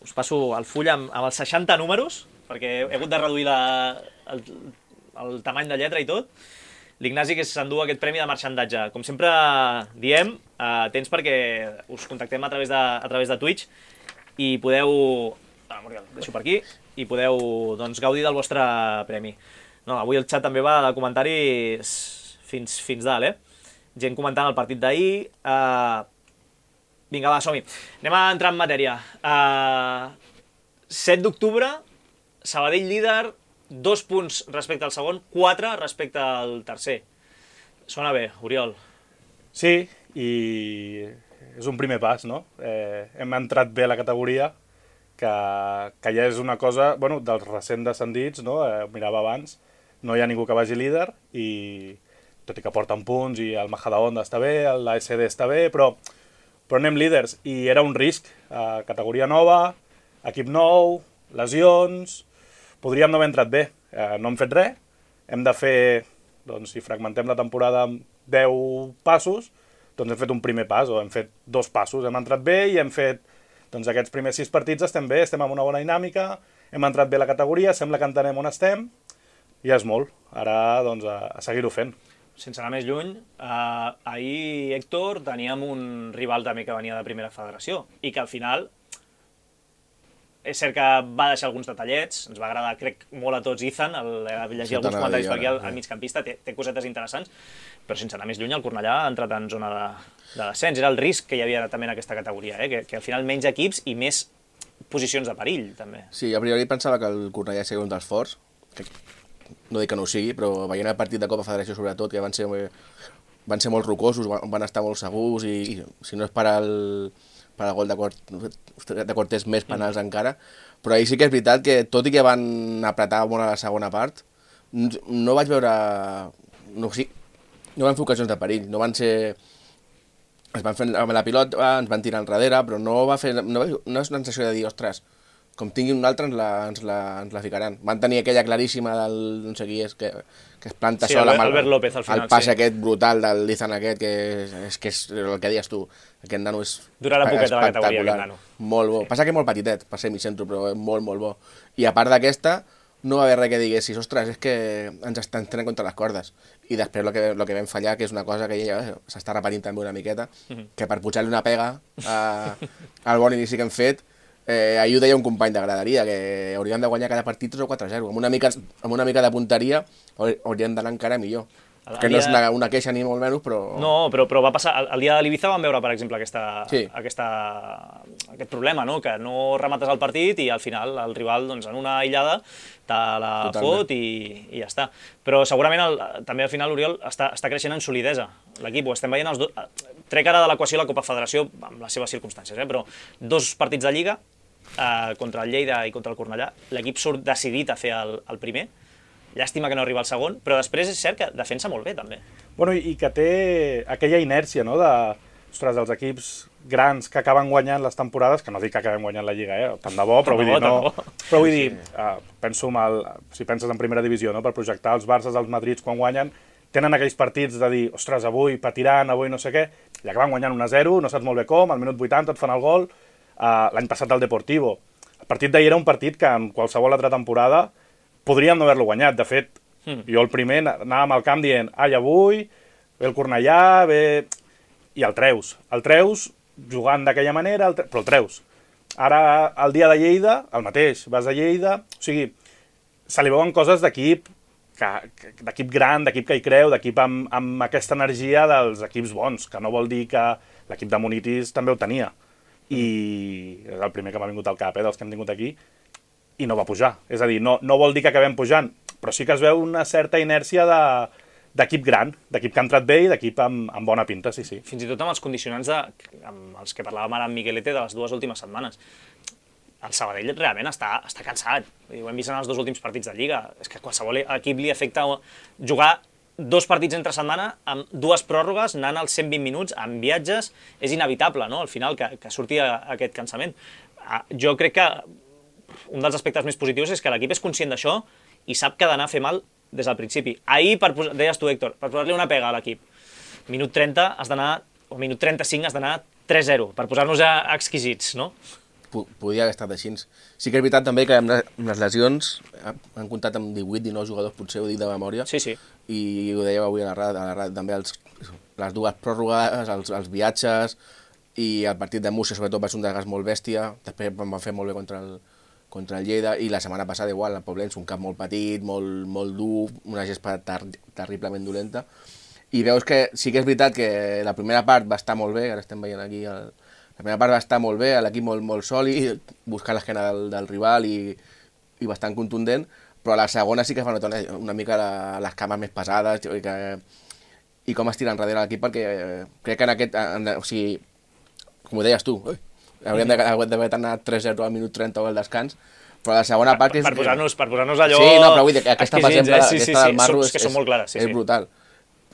Us passo el full amb, amb els seixanta números, perquè he hagut de reduir la, el, el tamany de lletra i tot. L'Ignasi que s'endú aquest premi de marxandatge. Com sempre diem, uh, tens perquè us contactem a través de, a través de Twitch i podeu... Ah, Muriel, deixo per aquí. I podeu, doncs, gaudir del vostre premi. No, avui el xat també va de comentaris fins, fins dalt, eh? Gent comentant el partit d'ahir. Uh, vinga, va, som-hi. Anem a entrar en matèria. Uh, set d'octubre, Sabadell líder, dos punts respecte al segon, quatre respecte al tercer. Sona bé, Oriol. Sí, i és un primer pas, no? Eh, hem entrat bé a la categoria, que, que ja és una cosa, bueno, dels recent descendits, no? Eh, mirava abans, no hi ha ningú que vagi líder i tot i que porten punts i el Majadahonda està bé, l'A S D està bé, però, però anem líders i era un risc. Eh, categoria nova, equip nou, lesions... Podríem no haver entrat bé. Eh, no hem fet res. Hem de fer, doncs, si fragmentem la temporada amb deu passos, doncs hem fet un primer pas o hem fet dos passos. Hem entrat bé i hem fet, doncs, aquests primers sis partits estem bé, estem amb una bona dinàmica, hem entrat bé a la categoria, sembla que entenem on estem, i ja és molt. Ara, doncs, a, a seguir-ho fent. Sense anar més lluny, eh, ahir, Héctor, teníem un rival també que venia de primera federació i que al final, és cert que va deixar alguns detallets, ens va agradar, crec, molt a tots Ethan, el, el llegir alguns comentaris per aquí al, al migcampista, té, té cosetes interessants, però sense anar més lluny, el Cornellà ha entrat en zona de, de descens. Era el risc que hi havia també en aquesta categoria, eh? que, que al final menys equips i més posicions de perill, també. Sí, a priori pensava que el Cornellà seria un dels forts, que no dic que no ho sigui, però veient el partit de Copa Federació sobretot, que van ser, van ser molt rocosos, van, van estar molt segurs i, i si no és per al, per al gol de, Cort, de Cortés més penals mm. encara, però ahir sí que és veritat que tot i que van apretar molt a la segona part, no vaig veure... No, sí, no van fer ocasions de perill, no van ser... Es van fer amb la pilota, ens van tirar enrere, però no va fer... No, no és una sensació de dir, ostres, com tinguin un altre ens la, ens la, ens la ficaran. Van tenir aquella claríssima del... no sé qui és, que, que es planta sí, sol amb el, López, al final, el pas sí. aquest brutal del Lizan aquest, que és, és, que és el que deies tu. Aquest nano és durarà poquet a la categoria, aquest nano. Molt bo. Passa que és molt petitet, per ser micentro, però és molt, molt bo. I a part d'aquesta, no va haver res que diguessis, ostres, és que ens estan tenint contra les cordes. I després el que, lo que vam fallar, que és una cosa que ja s'està repetint també una miqueta, mm-hmm. que per pujar-li una pega a, al bon inici que hem fet, eh, ahir ho deia un company de graderia, que hauríem de guanyar cada partit tres o quatre a zero. Amb una mica, amb una mica de punteria hauríem d'anar encara millor. El, que el no dia... és una, una queixa ni molt menys, però... No, però, però va passar... El, el dia de l'Ibiza vam veure, per exemple, aquesta, sí. aquesta, aquest problema, no? Que no remates el partit i al final el rival, doncs, en una aïllada, te la Totalment. fot i, i ja està. Però segurament el, també al final l'Oriol està, està creixent en solidesa. L'equip ho estem veient els dos... Trec ara de l'equació la Copa Federació amb les seves circumstàncies, eh? Però dos partits de Lliga, eh, contra el Lleida i contra el Cornellà, l'equip surt decidit a fer el, el primer. Llàstima que no arriba al segon, però després és cert que defensa molt bé, també. Bueno, i que té aquella inèrcia, no?, de, ostres, dels equips grans que acaben guanyant les temporades, que no dic que acabem guanyant la Lliga, eh? Tant de bo, però vull dir, no... Però vull dir, uh, penso mal, si penses en primera divisió, no?, per projectar els Barces, els Madrids, quan guanyen, tenen aquells partits de dir, ostres, avui patiran, avui no sé què, i acaben guanyant un a zero, no saps molt bé com, al minut vuitanta et fan el gol, uh, l'any passat el Deportivo. El partit d'ahir era un partit que en qualsevol altra temporada podríem no haver-lo guanyat. De fet, mm. jo el primer anàvem al camp dient ai, avui, ve el Cornellà, ve... i el treus. El treus jugant d'aquella manera, el tre... però el treus. Ara, el dia de Lleida, el mateix, vas a Lleida... O sigui, se li veuen coses d'equip, que, que, d'equip gran, d'equip que hi creu, d'equip amb, amb aquesta energia dels equips bons, que no vol dir que l'equip de Munitis també ho tenia. I és el primer que m'ha vingut al cap, eh, dels que hem tingut aquí, i no va pujar. És a dir, no, no vol dir que acabem pujant, però sí que es veu una certa inèrcia de, d'equip gran, d'equip que ha entrat bé i d'equip amb, amb bona pinta, sí, sí. Fins i tot amb els condicionants de, amb els que parlàvem ara amb Miguelete de les dues últimes setmanes. El Sabadell realment està, està cansat. Ho hem vist en els dos últims partits de Lliga. És que qualsevol equip li afecta jugar dos partits entre setmana amb dues pròrrogues, anant als cent vint minuts, amb viatges, és inevitable, no?, al final, que, que surti aquest cansament. Jo crec que un dels aspectes més positius és que l'equip és conscient d'això i sap que ha d'anar a fer mal des del principi. Ahir, per posar, deies tu, Héctor, per posar-li una pega a l'equip, minut trenta has d'anar, o minut trenta-cinc has d'anar tres zero, per posar-nos exquisits, no? Podia haver estat així. Sí que és veritat també que amb les lesions han comptat amb divuit dinou jugadors, potser ho dic de memòria, sí, sí. I ho dèieu avui a la ràdio, a la ràdio també els, les dues pròrrogues, els, els viatges, i el partit de Múrcia sobretot va ser un desgast molt bèstia, després van fer molt bé contra el, contra el Lleida, i la setmana passada igual, el Poblenç, un camp molt petit, molt, molt dur, una gespa ter terriblement dolenta, i veus que sí que és veritat que la primera part va estar molt bé, ara estem veient aquí, el, la primera part va estar molt bé, l'equip molt, molt sòlid, buscant l'esquena del, del rival i, i bastant contundent, però a la segona sí que fa notar una, una mica la, les cames més pesades i, que, i com es tira enrere l'equip, perquè crec que en aquest, en, o sigui, com ho deies tu, ui, hauríem d'haver anat tres zero al minut trenta o al descans, però la segona part... Per, per posar-nos per posar allò... Sí, no, però vull dir que aquesta, per exemple, eh? sí, sí, aquesta sí, del Marro és, és, és, clares, sí, és sí. brutal.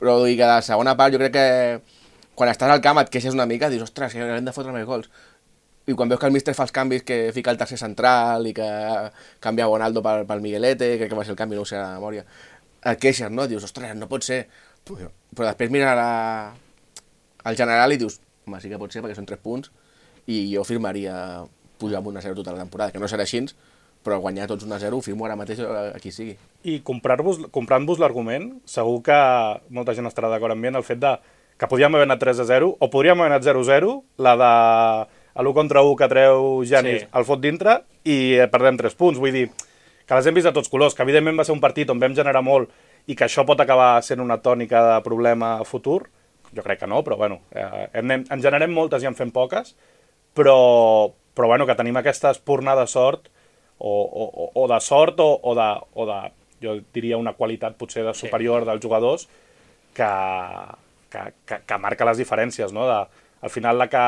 Però vull dir que la segona part jo crec que quan estàs al camp et queixes una mica, dius, ostres, que hem de fotre més gols. I quan veus que el míster fa els canvis, que fica el tercer central i que canvia Bonaldo pel, pel Miguelete, crec que va ser el canvi, no ho sé a la memòria, et queixes, no? Dius, ostres, no pot ser. Però després mires la... al general i dius, home, sí que pot ser perquè són tres punts, i jo firmaria pujar amb un a zero tota la temporada, que no serà així, però guanyar tots un a zero ho firmo ara mateix a qui sigui. I comprant-vos comprant-vos l'argument, segur que molta gent estarà d'acord amb mi en el fet de que podíem haver anat tres a zero, o podríem haver anat zero a zero, la de l'u contra u que treu Janis sí. el fot dintre, i perdem tres punts. Vull dir, que les hem vist a tots colors, que evidentment va ser un partit on vam generar molt i que això pot acabar sent una tònica de problema futur. Jo crec que no, però bueno, eh, en, en generem moltes i en fem poques, però, però bueno, que tenim aquesta espurna de sort, o, o, o de sort, o, o, de, o de, jo diria, una qualitat potser de superior sí. dels jugadors, que, que, que, que marca les diferències, no? De, al final, la que,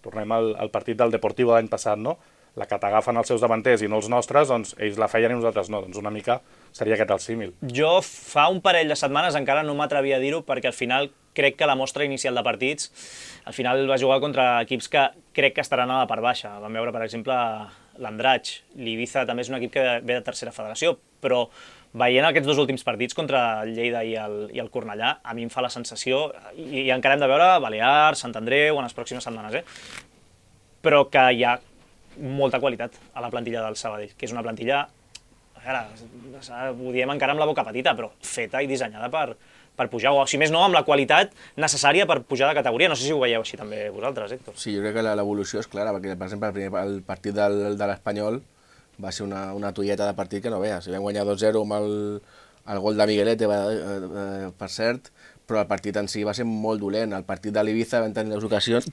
tornem al, al partit del Deportivo l'any passat, no? La que t'agafen els seus davanters i no els nostres, doncs ells la feien i nosaltres no, doncs una mica seria aquest el símil. Jo fa un parell de setmanes encara no m'atrevia a dir-ho, perquè al final crec que la mostra inicial de partits al final va jugar contra equips que crec que estaran a la part baixa. Vam veure, per exemple, l'Andratx. L'Ibiza també és un equip que ve de tercera federació, però veient aquests dos últims partits contra el Lleida i el, i el Cornellà, a mi em fa la sensació, i, i encara hem de veure Balears, Sant Andreu en les pròximes setmanes, eh? Però que hi ha molta qualitat a la plantilla del Sabadell, que és una plantilla, ara, ho diem encara amb la boca petita, però feta i dissenyada per, per pujar, o si més no, amb la qualitat necessària per pujar de categoria. No sé si ho veieu així també vosaltres, Héctor. Sí, jo crec que l'evolució és clara, perquè, per exemple, el, primer, el partit del, de l'Espanyol va ser una, una tolleta de partit que no veus. Si vam guanyar dos zero amb el, el gol de Miguelete, per cert, però el partit en si va ser molt dolent. El partit de l'Ibiza van tenir les ocasions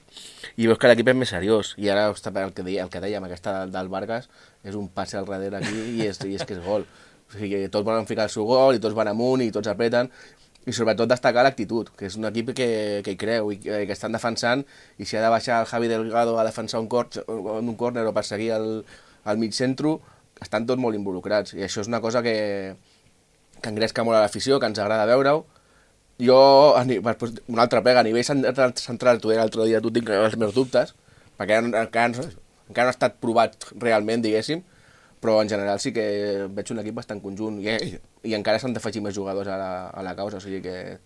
i veus que l'equip és més seriós. I ara el que, deia, el que dèiem, aquesta del Vargas, és un passe al darrere aquí i és, i és que és gol. O sigui, tots volen ficar el seu gol i tots van amunt i tots apreten. I sobretot destacar l'actitud, que és un equip que, que hi creu i que, que estan defensant, i si ha de baixar el Javi Delgado a defensar un, cor, un córner o perseguir el, el mig centro, estan tots molt involucrats. I això és una cosa que, que engresca molt a l'afició, que ens agrada veure-ho. Jo, una altra pega, a nivell central, tu l'altre dia tu tinc els meus dubtes, perquè encara no, encara no ha estat provat realment, diguéssim, però en general sí que veig un equip bastant conjunt i, i encara s'han d'afegir més jugadors a la, a la causa, o sigui que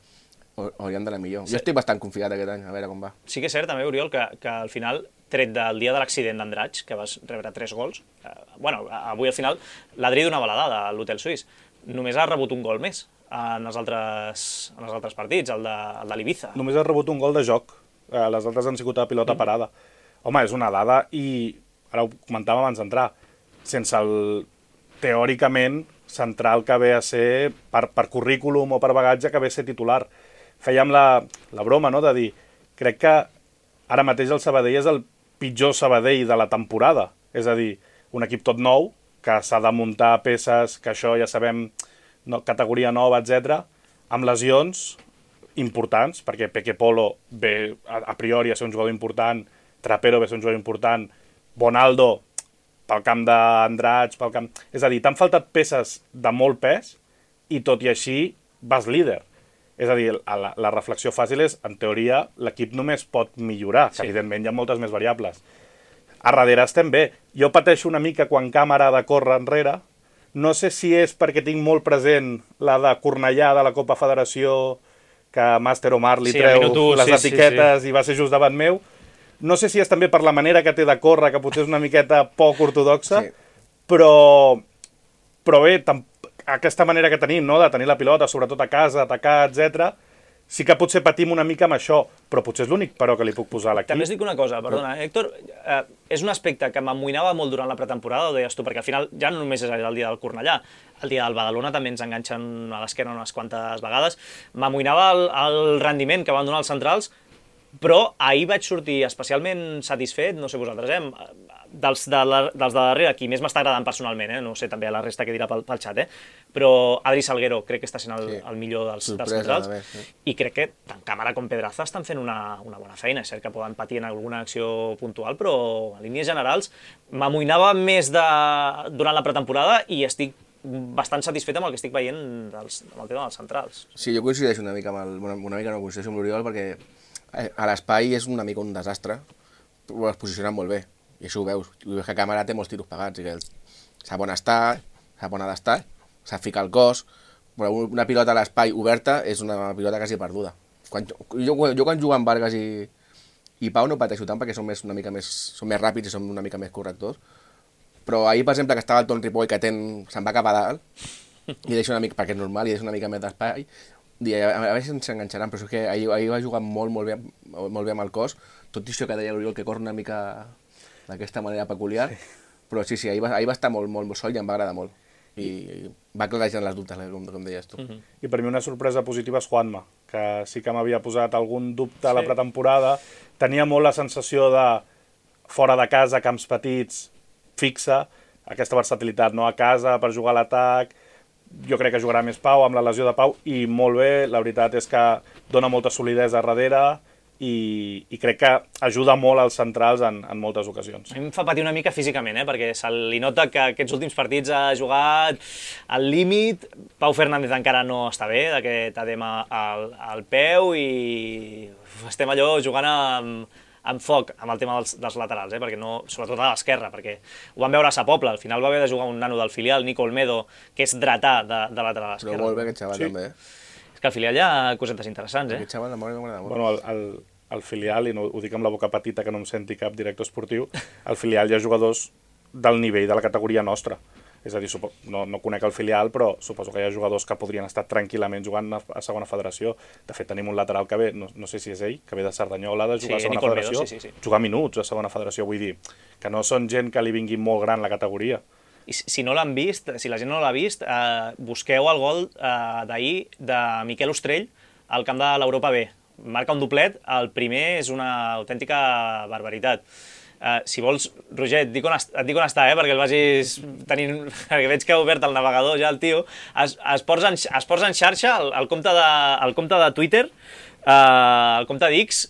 hauríem d'anar millor. Sí. Jo estic bastant confiat aquest any, a veure com va. Sí que és cert també, Oriol, que, que al final, tret del dia de l'accident d'Andratx, que vas rebre tres gols, eh, bueno, avui al final l'Adri donava la dada a l'Hotel Suís, només ha rebut un gol més en els altres, en els altres partits, el de, el de l'Ibiza. Només ha rebut un gol de joc, eh, les altres han sigut a pilota mm. parada. Home, és una dada i, ara ho comentàvem abans d'entrar, sense el, teòricament, central que ve a ser, per, per currículum o per bagatge, que ve a ser titular. Fèiem la, la broma, no?, de dir, crec que ara mateix el Sabadell és el pitjor Sabadell de la temporada. És a dir, un equip tot nou, que s'ha de muntar peces, que això ja sabem, no, categoria nova, etcètera, amb lesions importants, perquè Peque Polo ve a, a priori a ser un jugador important, Trapero ve a ser un jugador important, Bonaldo pel camp d'Andratx, pel camp... És a dir, t'han faltat peces de molt pes i tot i així vas líder. És a dir, la, la reflexió fàcil és, en teoria, l'equip només pot millorar. Sí. Evidentment, hi ha moltes més variables. A darrere estem bé. Jo pateixo una mica quan Càmera ha de córrer enrere. No sé si és perquè tinc molt present la de Cornellà de la Copa Federació, que Master Omar li sí, treu tu, les sí, etiquetes sí, sí. i va ser just davant meu. No sé si és també per la manera que té de córrer, que potser és una miqueta poc ortodoxa, sí. però, però bé, aquesta manera que tenim, no?, de tenir la pilota, sobretot a casa, atacar, etcètera, sí que potser patim una mica amb això, però potser és l'únic però que li puc posar a l'equip. També us dic una cosa, perdona, Héctor, eh, és un aspecte que m'amoïnava molt durant la pretemporada, ho deies tu, perquè al final ja no només és el dia del Cornellà, el dia del Badalona també ens enganxen a l'esquena unes quantes vegades, m'amoïnava el, el rendiment que van donar els centrals, però ahir vaig sortir especialment satisfet, no sé vosaltres, eh, dels de, la, dels de darrere, qui més m'està agradant personalment, eh, no sé també a la resta que dirà pel, pel xat, eh, però Adri Salguero crec que està sent el, sí. el millor dels, dels centrals, més, sí. i crec que tant Càmera com Pedraza estan fent una, una bona feina, és cert que poden patir en alguna acció puntual, però en línies generals m'amoïnava més de, durant la pretemporada i estic bastant satisfet amb el que estic veient dels, amb el tema dels centrals. Sí, jo coincideixo una mica amb el, una, una mica no coincideixo amb l'Oriol perquè a l'espai és una mica un desastre, però es posicionen molt bé, i això ho veus. I veus que Càmera té molts tiros pagats, i que sap on estar, sap on ha d'estar, sap ficar el cos, però una pilota a l'espai oberta és una pilota quasi perduda. Quan, jo, jo quan jugo amb Vargas i, i Pau no pateixo tant perquè són, més, una mica més, són més ràpids i són una mica més correctors, però ahir, per exemple, que estava el Ton Ripoll que ten, se'n va cap a dalt, i deixa una mica, perquè és normal, i deixa una mica més d'espai, i a, a veure si ens enganxaran, però és que ahir, ahir va jugar molt, molt bé, molt bé amb el cos, tot i això que deia l'Oriol que corre una mica d'aquesta manera peculiar, sí. però sí, sí, ahir va, ahir va estar molt, molt, molt sol i em va agradar molt. I, i va clarejant les dubtes, com, com deies tu. Uh-huh. I per mi una sorpresa positiva és Juanma, que sí que m'havia posat algun dubte a la pretemporada, tenia molt la sensació de fora de casa, camps petits, fixa, aquesta versatilitat, no a casa, per jugar a l'atac. Jo crec que jugarà més Pau, amb la lesió de Pau, i molt bé, la veritat és que dona molta solidesa a darrere i, i crec que ajuda molt als centrals en, en moltes ocasions. A mi em fa patir una mica físicament, eh? perquè se li nota que aquests últims partits ha jugat al límit. Pau Fernández encara no està bé, d'aquest edema al, al peu, i estem allò jugant amb... amb foc, amb el tema dels, dels laterals, eh? perquè no, sobretot a l'esquerra, perquè ho vam veure a Sa Pobla, al final va haver de jugar un nano del filial, Nico Olmedo, que és dretà de, de lateral a l'esquerra. Però molt bé aquest xaval, sí. també. És que al filial hi ha cosetes interessants, eh? Aquest xaval m'agrada molt. Bueno, el, el, el filial, i no ho dic amb la boca petita que no em senti cap director esportiu, al filial hi ha jugadors del nivell de la categoria nostra. És a dir, no, no conec el filial, però suposo que hi ha jugadors que podrien estar tranquil·lament jugant a, a segona federació. De fet, tenim un lateral que ve, no, no sé si és ell, que ve de Cerdanyola de jugar sí, a segona federació, sí, sí, sí. jugar minuts a segona federació, vull dir, que no són gent que li vingui molt gran la categoria. I si no l'han vist, si la gent no l'ha vist, eh, busqueu el gol eh, d'ahir de Miquel Ostrell al camp de l'Europa B. Marca un doblet, el primer és una autèntica barbaritat. Uh, si vols, Roger, et dic on, est et dic on està, eh, perquè el vagis tenint... perquè veig que ha obert el navegador ja el tio. Es, es, posa, en, es posa en xarxa el, el, compte de, el compte de Twitter, uh, el compte d'X,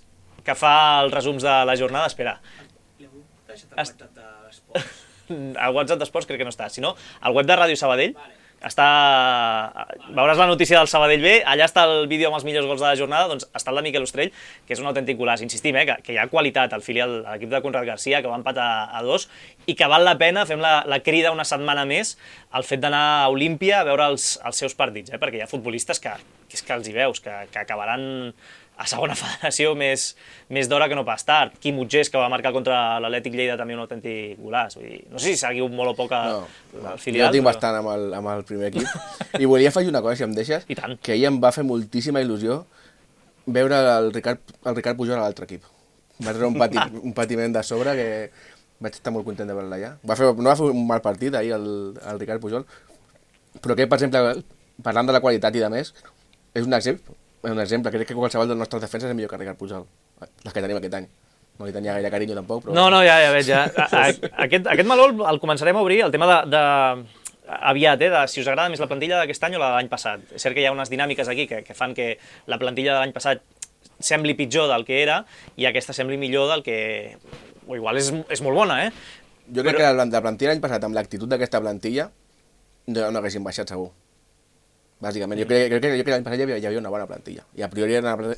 que fa els resums de la jornada. Espera. Es... El WhatsApp d'Esports crec que no està. Si no, el web de Ràdio Sabadell està... Veuràs la notícia del Sabadell B, allà està el vídeo amb els millors gols de la jornada, doncs està el de Miquel Ostrell, que és un autèntic golaç. Insistim, eh, que, que hi ha qualitat al filial, a l'equip de Conrad Garcia, que va empatar a dos, i que val la pena, fem la, la crida una setmana més, el fet d'anar a Olímpia a veure els, els seus partits, eh, perquè hi ha futbolistes que, que, és que els hi veus, que, que acabaran a segona federació més, més d'hora que no pas tard. Quim Utgés, que va marcar contra l'Atlètic Lleida també un autèntic golaç. Vull dir, no sé si seguiu molt o poc a, no, al filial. Jo tinc però... bastant amb el, amb el primer equip. I volia afegir una cosa, si em deixes, I tant. Que ahir em va fer moltíssima il·lusió veure el Ricard, el Ricard Pujol a l'altre equip. Va treure un, pati, un patiment de sobre que vaig estar molt content de veure-la allà. Va fer, no va fer un mal partit ahir el, el Ricard Pujol, però que, per exemple, parlant de la qualitat i de més, és un exemple. Un exemple, crec que qualsevol dels nostres defenses és millor que Ricard Pujol, les que tenim aquest any. No li tenia gaire carinyo tampoc, però... No, no, ja, ja veig, ja. A, a, aquest, aquest meló el començarem a obrir, el tema de, de... aviat, eh, de si us agrada més la plantilla d'aquest any o la de l'any passat. És cert que hi ha unes dinàmiques aquí que, que fan que la plantilla de l'any passat sembli pitjor del que era i aquesta sembli millor del que... O igual és, és molt bona, eh? Jo crec però... que la, la plantilla l'any passat, amb l'actitud d'aquesta plantilla, no, no haguessin baixat segur. Bàsicament, jo crec, crec, crec que l'any passat hi havia, hi havia una bona plantilla. I a priori era una,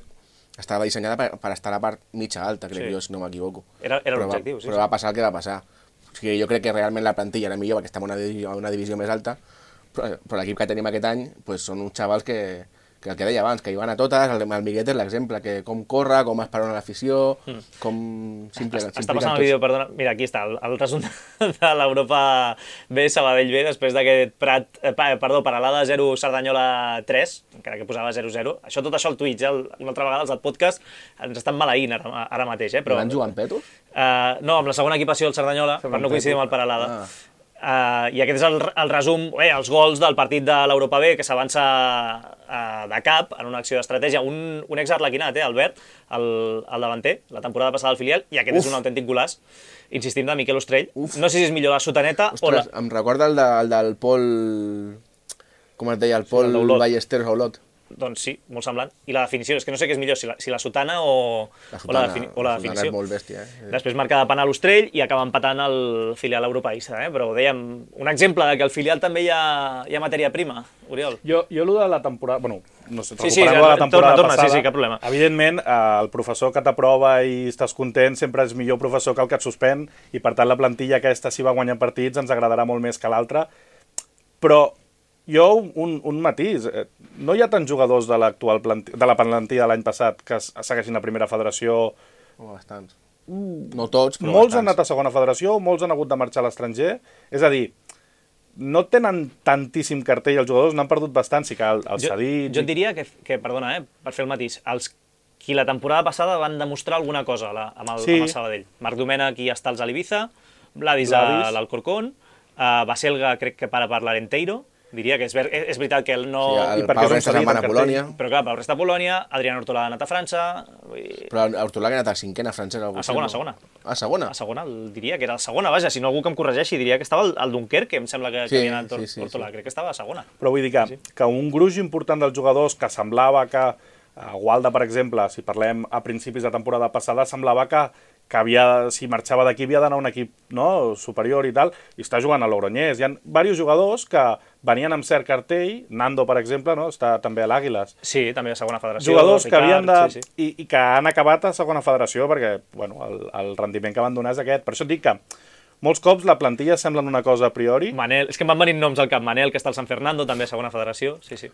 estava dissenyada per, per estar a la part mitja alta, crec sí. jo, si no m'equivoco. Era, era l'objectiu, sí. Però va passar el que va passar. O sigui, jo crec que realment la plantilla era millor perquè estem en una, divisió, una divisió més alta, però, però l'equip que tenim aquest any pues, són uns xavals que, que el que deia abans, que hi van a totes, el, el Miguet és l'exemple, que com corre, com esperona l'afició, mm. com... Simple, està passant el vídeo, perdona, mira, aquí està, el, el resum de l'Europa B, Sabadell B, després d'aquest Prat, eh, perdó, Peralada zero, Cerdanyola tres, encara que posava zero zero, això tot això al Twitch, eh, una altra vegada els del podcast ens estan maleint ara, ara mateix, eh, però... Van jugant petos? Uh, no, amb la segona equipació del Cerdanyola, per no coincidir amb el Peralada. Ah. Uh, I aquest és el, el resum, eh, els gols del partit de l'Europa B, que s'avança uh, de cap en una acció d'estratègia. Un, un ex-arlequinat, eh, Albert, el, el davanter, la temporada passada al filial, i aquest Uf. és un autèntic golaç, insistim, de Miquel Ostrell. Uf. No sé si és millor la sotaneta Ostres, o la... Em recorda el, de, el del Pol... Com es deia? El Pol sí, Ballesteros a Olot. Doncs sí, molt semblant. I la definició, és que no sé què és millor, si la, si la sotana o la, sotana, o la, defini o la, la definició. És molt bèstia, eh? Després marca de penal l'Ostrell i acaba empatant el filial europeista, eh? Però dèiem, un exemple de que al filial també hi ha, hi ha matèria prima, Oriol. Jo, jo allò de la temporada... Bueno, no sé, sí, sí, ja, de la temporada torna, torna, passada, sí, sí, cap problema. Evidentment, eh, el professor que t'aprova i estàs content sempre és millor professor que el que et suspèn i per tant la plantilla aquesta, si va guanyar partits, ens agradarà molt més que l'altra. Però jo, un, un matís, no hi ha tants jugadors de l'actual de la plantilla de l'any passat que segueixin a primera federació. Oh, bastants. No tots, però molts bastants. Han anat a segona federació, molts han hagut de marxar a l'estranger. És a dir, no tenen tantíssim cartell els jugadors, n'han perdut bastant, sí que el, el Sadí... Jo, jo et diria que, que, perdona, eh, per fer el matís, els qui la temporada passada van demostrar alguna cosa la, amb, el, sí. amb el Sabadell. Marc Domènech i està als Ibiza, Vladis a l'Alcorcón, uh, Baselga crec que para per l'Arenteiro, diria que és, ver és veritat que ell no... Sí, el Pau Resta se'n va a Polònia. Però clar, Pau Resta a Polònia, Adrián Hortolà ha anat a França... Vull... Però Hortolà que ha anat a cinquena francesa. A segona, a segona. A segona? A segona, diria que era a segona, vaja, si no algú que em corregeixi, diria que estava al Dunkerque, que em sembla que, sí, que havia anat sí, sí, Hortolà, sí. crec que estava a segona. Però vull dir que, sí. que un gruix important dels jugadors que semblava que... A Gualda, per exemple, si parlem a principis de temporada passada, semblava que, que havia, si marxava d'aquí havia d'anar a un equip no, superior i tal, i està jugant a l'Ogronyès. Hi ha diversos jugadors que venien amb cert cartell, Nando, per exemple, no, està també a l'Àguiles. Sí, també a segona federació. Jugadors Ricard, que havien de... Sí, sí. I, I que han acabat a segona federació perquè bueno, el, el rendiment que van donar és aquest. Per això et dic que molts cops la plantilla semblen una cosa a priori. Manel, és que em van venir noms al cap. Manel, que està al San Fernando, també a segona federació. Sí, sí.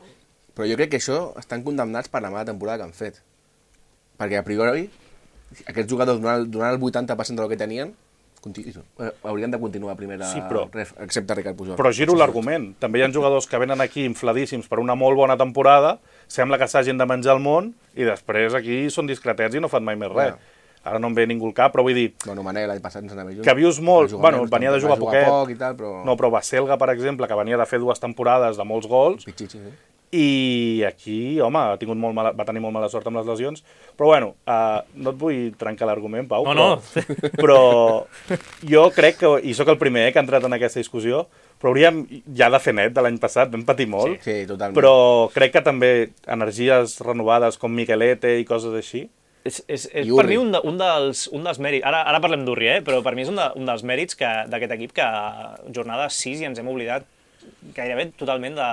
Però jo crec que això estan condemnats per la mala temporada que han fet. Perquè a priori, aquests jugadors donant, donant el vuitanta per cent del que tenien, haurien de continuar a primera, sí, però, ref, excepte Ricard Pujol. Però giro l'argument. També hi ha jugadors que venen aquí infladíssims per una molt bona temporada, sembla que s'hagin de menjar el món, i després aquí són discretets i no fan mai més res. Ja. ara no em ve ningú al cap, però vull dir... Bueno, Manel l'any passat ens anava junts. Que vius molt, bueno, venia de jugar poquet. Poc i tal, però... No, però Baselga, per exemple, que venia de fer dues temporades de molts gols, Pichichi, sí. i aquí, home, ha tingut molt mala, va tenir molt mala sort amb les lesions, però bueno, uh, no et vull trencar l'argument, Pau, no, però, no. però jo crec que, i sóc el primer eh, que ha entrat en aquesta discussió, però hauríem ja de fer net de l'any passat, vam patir molt, sí, sí, totalment. Però crec que també energies renovades com Miquelete i coses així. És, és, és per mi un, de, un, dels, un dels mèrits, ara, ara parlem d'Urri, eh? Però per mi és un, de, un dels mèrits d'aquest equip que jornada sis i ens hem oblidat gairebé totalment de...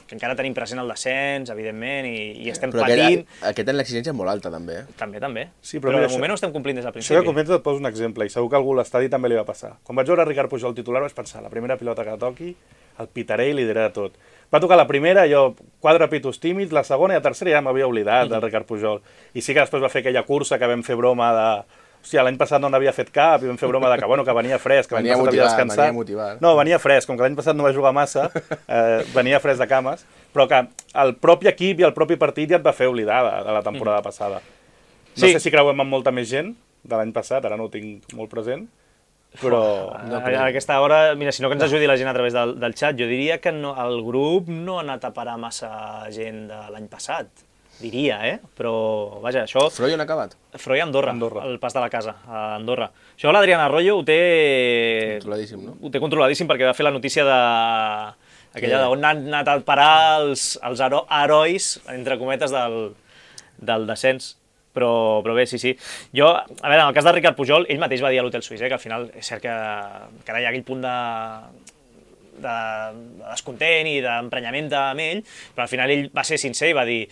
que encara tenim present el descens, evidentment, i, i estem però patint... Però aquest en l'exigència és molt alta, també. Eh? També, també. Sí, però però de això, moment no estem complint des del principi. Això que comentes et poso un exemple, i segur que algú a l'estadi també li va passar. Quan vaig veure Ricard Pujol titular vaig pensar, la primera pilota que toqui, el pitaré i li diré de tot. Va tocar la primera, jo quatre pitos tímids, la segona i la tercera ja m'havia oblidat del Ricard Pujol. I sí que després va fer aquella cursa que vam fer broma de... Hòstia, l'any passat no n'havia fet cap i vam fer broma de que, bueno, que venia fresc, que l'any passat havia descansat. Venia motivat. No, venia fresc, com que l'any passat no va jugar massa, eh, venia fresc de cames, però que el propi equip i el propi partit ja et va fer oblidar de, de la temporada mm. passada. No sí. sé si creuem amb molta més gent de l'any passat, ara no ho tinc molt present, però... No, a aquesta hora, mira, si no que ens ajudi la gent a través del, del xat, jo diria que no, el grup no ha anat a parar massa gent de l'any passat. Diria, eh? Però, vaja, això... Froi on ha acabat? Froi a Andorra, Andorra, el pas de la casa, a Andorra. Això l'Adrián Arroyo ho té... Controladíssim, no? Ho té controladíssim perquè va fer la notícia de... aquella d'on han anat a parar els, els hero... herois, entre cometes, del, del descens. Però, però bé, sí, sí. Jo, a veure, en el cas de Ricard Pujol, ell mateix va dir a l'Hotel Suís, eh, que al final és cert que, que ara hi ha aquell punt de... de descontent i d'emprenyament amb ell, però al final ell va ser sincer i va dir,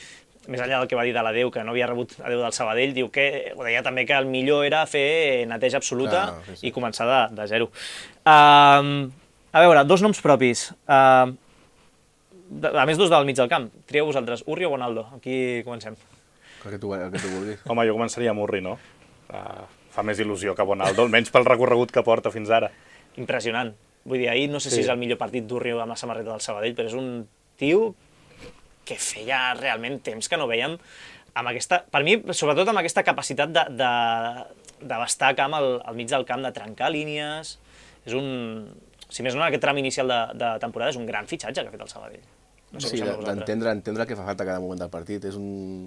més enllà del que va dir de l'adeu, que no havia rebut adeu del Sabadell, diu que, ho deia també que el millor era fer neteja absoluta ah, sí, sí. i començar de, de zero. Uh, a veure, dos noms propis. Uh, de, a més, dos del mig del camp. Trieu vosaltres, Urri o Bonaldo? Aquí comencem. El que tu, el que tu vulguis. Home, jo començaria amb Urri, no? Uh, fa més il·lusió que Bonaldo, almenys pel recorregut que porta fins ara. Impressionant. Vull dir, ahir no sé sí. si és el millor partit d'Urri amb la samarreta del Sabadell, però és un tio que feia realment temps que no veiem amb aquesta, per mi, sobretot amb aquesta capacitat de, de, de bastar camp al, al mig del camp, de trencar línies. És un... Si més no, en aquest tram inicial de, de temporada és un gran fitxatge que ha fet el Sabadell. No sé sí, d'entendre entendre que fa falta cada moment del partit. És un...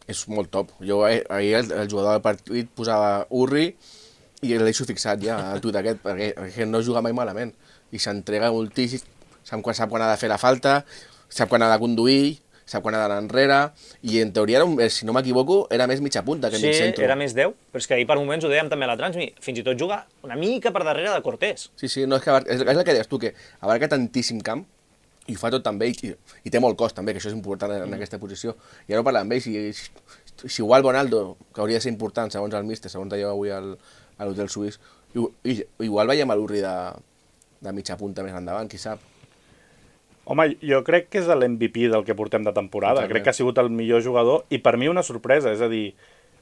és molt top. Jo ahir el, el jugador del partit posava Urri i l'he deixo fixat ja al tuit aquest, perquè, perquè no juga mai malament. I s'entrega moltíssim, sap quan, sap quan ha de fer la falta, sap quan ha de conduir, sap quan ha d'anar enrere, i en teoria, si no m'equivoco, era més mitja punta que sí, mig centre. Sí, era més deu, però és que ahir per moments ho dèiem també a la Transmi, fins i tot juga una mica per darrere de Cortés. Sí, sí, no, és, que, és, és el que deies tu, que abarca tantíssim camp, i ho fa tot també, i, i té molt cost també, que això és important en, en aquesta posició. I ara ho parlem amb ell, si, si, si igual Bonaldo, que hauria de ser important, segons el míster, segons dèieu avui al, a l'Hotel Suís, i, i, igual veiem a l'Urri de, de mitja punta més endavant, qui sap. Home, jo crec que és l'M V P del que portem de temporada. Totalment. Crec que ha sigut el millor jugador i per mi una sorpresa, és a dir,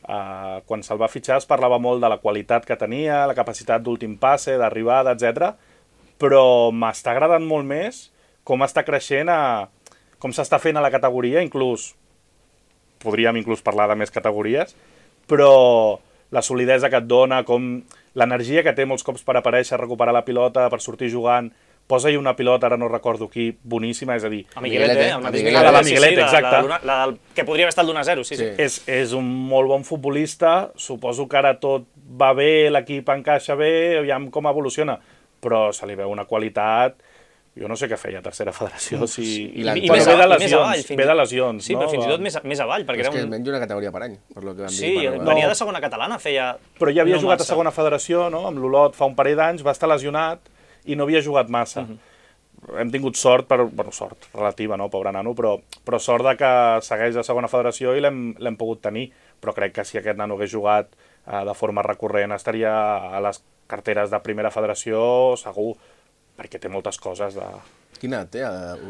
uh, quan se'l va fitxar es parlava molt de la qualitat que tenia, la capacitat d'últim passe, d'arribada, etcètera. Però m'està agradant molt més com està creixent, a, com s'està fent a la categoria, inclús, podríem inclús parlar de més categories, però la solidesa que et dona, com l'energia que té molts cops per aparèixer, recuperar la pilota, per sortir jugant, posa-hi una pilota, ara no recordo qui, boníssima, és a dir... A Miguelete, el mateix Miguelete, la, la Miguelete, sí, sí, exacte. La, la, la, la, que podria haver estat l'un a zero, sí, sí. sí. És, és un molt bon futbolista, suposo que ara tot va bé, l'equip encaixa bé, aviam com evoluciona, però se li veu una qualitat... Jo no sé què feia a tercera federació, si... I, I, I més, ve de lesions, més avall, ve de lesions, sí, no? però fins i tot més, més avall, perquè és era un... que és menys una categoria per any, per lo que vam sí, dir. Sí, venia no. de segona catalana, feia... Però ja havia no jugat massa. a segona federació, no? Amb l'Olot fa un parell d'anys, va estar lesionat i no havia jugat massa. Uh -huh. Hem tingut sort, per, bueno, sort relativa, no, pobre nano, però, però sort de que segueix a segona federació i l'hem pogut tenir. Però crec que si aquest nano hagués jugat eh, de forma recurrent estaria a les carteres de primera federació segur, perquè té moltes coses de... Quina edat té,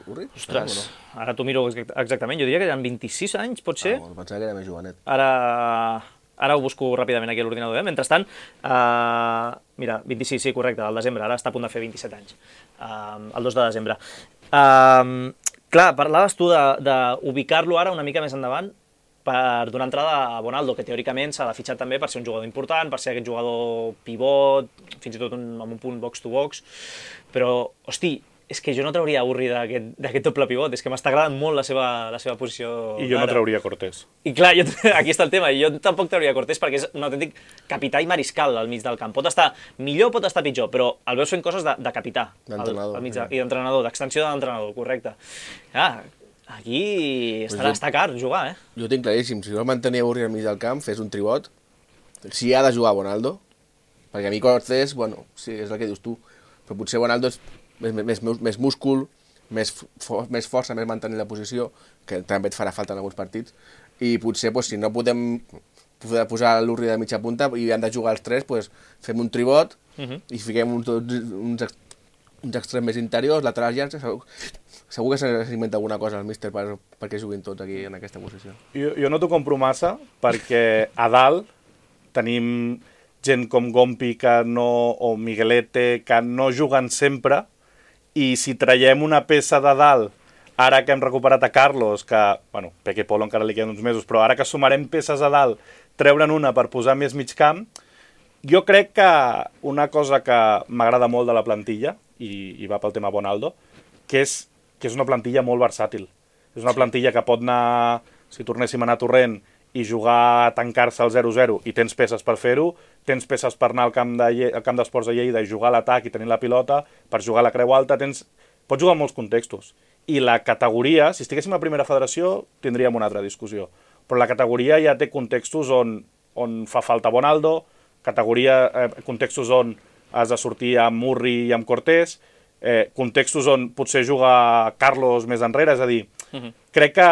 Urri? Ostres, no? Ara t'ho miro exactament, jo diria que eren vint-i-sis anys, pot ser? Ah, pensava que era més jovenet. Ara, ara ho busco ràpidament aquí a l'ordinador. Eh? Mentrestant, uh, mira, vint-i-sis, sí, correcte, al desembre, ara està a punt de fer vint-i-set anys, uh, el dos de desembre. Uh, clar, parlaves tu d'ubicar-lo ara una mica més endavant. per donar entrada a Bonaldo, que teòricament s'ha de fitxar també per ser un jugador important, per ser aquest jugador pivot, fins i tot un, amb un punt box-to-box, però, hosti, és que jo no trauria Urri d'aquest doble pivot, és que m'està agradant molt la seva, la seva posició. I jo no trauria Cortés. I clar, jo, aquí està el tema, jo tampoc trauria Cortés perquè és un autèntic capità i mariscal al mig del camp. Pot estar millor, pot estar pitjor, però el veus fent coses de, de capità d'entrenador, al mig de, i d'entrenador, d'extensió de l'entrenador, correcte. Ah, aquí estarà, pues està car jugar, eh? Jo ho tinc claríssim, si vols mantenir Urri al mig del camp, fes un tribot, si ha de jugar Bonaldo, perquè a mi Cortés, bueno, sí, és el que dius tu, però potser Bonaldo és Més, més, més múscul, més, for, més força, més mantenir la posició, que també et farà falta en alguns partits, i potser pues, si no podem poder posar l'Urri de mitja punta i han de jugar els tres, pues, fem un tribot uh -huh. i fiquem un, uns, uns extrems més interiors, laterals llargs, segur, segur que s'inventa alguna cosa al míster per, perquè juguin tots aquí en aquesta posició. Jo, jo no t'ho compro massa perquè a dalt tenim gent com Gompi que no, o Miguelete que no juguen sempre. I si traiem una peça de dalt, ara que hem recuperat a Carlos, que, bueno, Peque Polo encara li queden uns mesos, però ara que sumarem peces a dalt, treure'n una per posar més mig camp, jo crec que una cosa que m'agrada molt de la plantilla, i, i va pel tema Bonaldo, que és, que és una plantilla molt versàtil. És una plantilla que pot anar, si tornéssim a anar torrent, i jugar a tancar-se al zero zero i tens peces per fer-ho, tens peces per anar al camp de, al camp d'esports de Lleida i jugar a l'atac i tenir la pilota, per jugar a la creu alta, tens... pots jugar en molts contextos. I la categoria, si estiguéssim a primera federació, tindríem una altra discussió. Però la categoria ja té contextos on, on fa falta Bonaldo, categoria, eh, contextos on has de sortir amb Urri i amb Cortés, eh, contextos on potser juga Carlos més enrere, és a dir, uh-huh. crec que,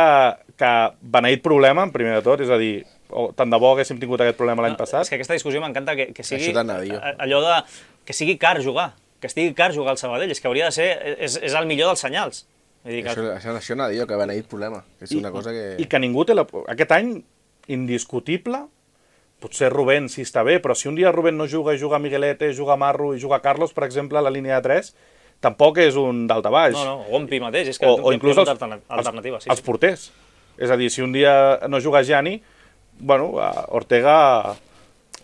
que beneït problema, en primer de tot, és a dir, o, tant de bo haguéssim tingut aquest problema l'any no, passat. És que aquesta discussió m'encanta que, que sigui allò de que sigui car jugar, que estigui car jugar al Sabadell, és que hauria de ser, és, és el millor dels senyals. Dir que... Això, això, això anava a dir, que beneït problema, que és I, una cosa que... I que ningú té la... Aquest any, indiscutible, potser Rubén sí està bé, però si un dia Rubén no juga i juga Miguelete, juga Marro i juga Carlos, per exemple, a la línia de tres, tampoc és un daltabaix. No, no, Gompi mateix, és que o, o inclús els, alternativa, sí, els, els porters. És a dir, si un dia no juga Gianni, bueno, Ortega...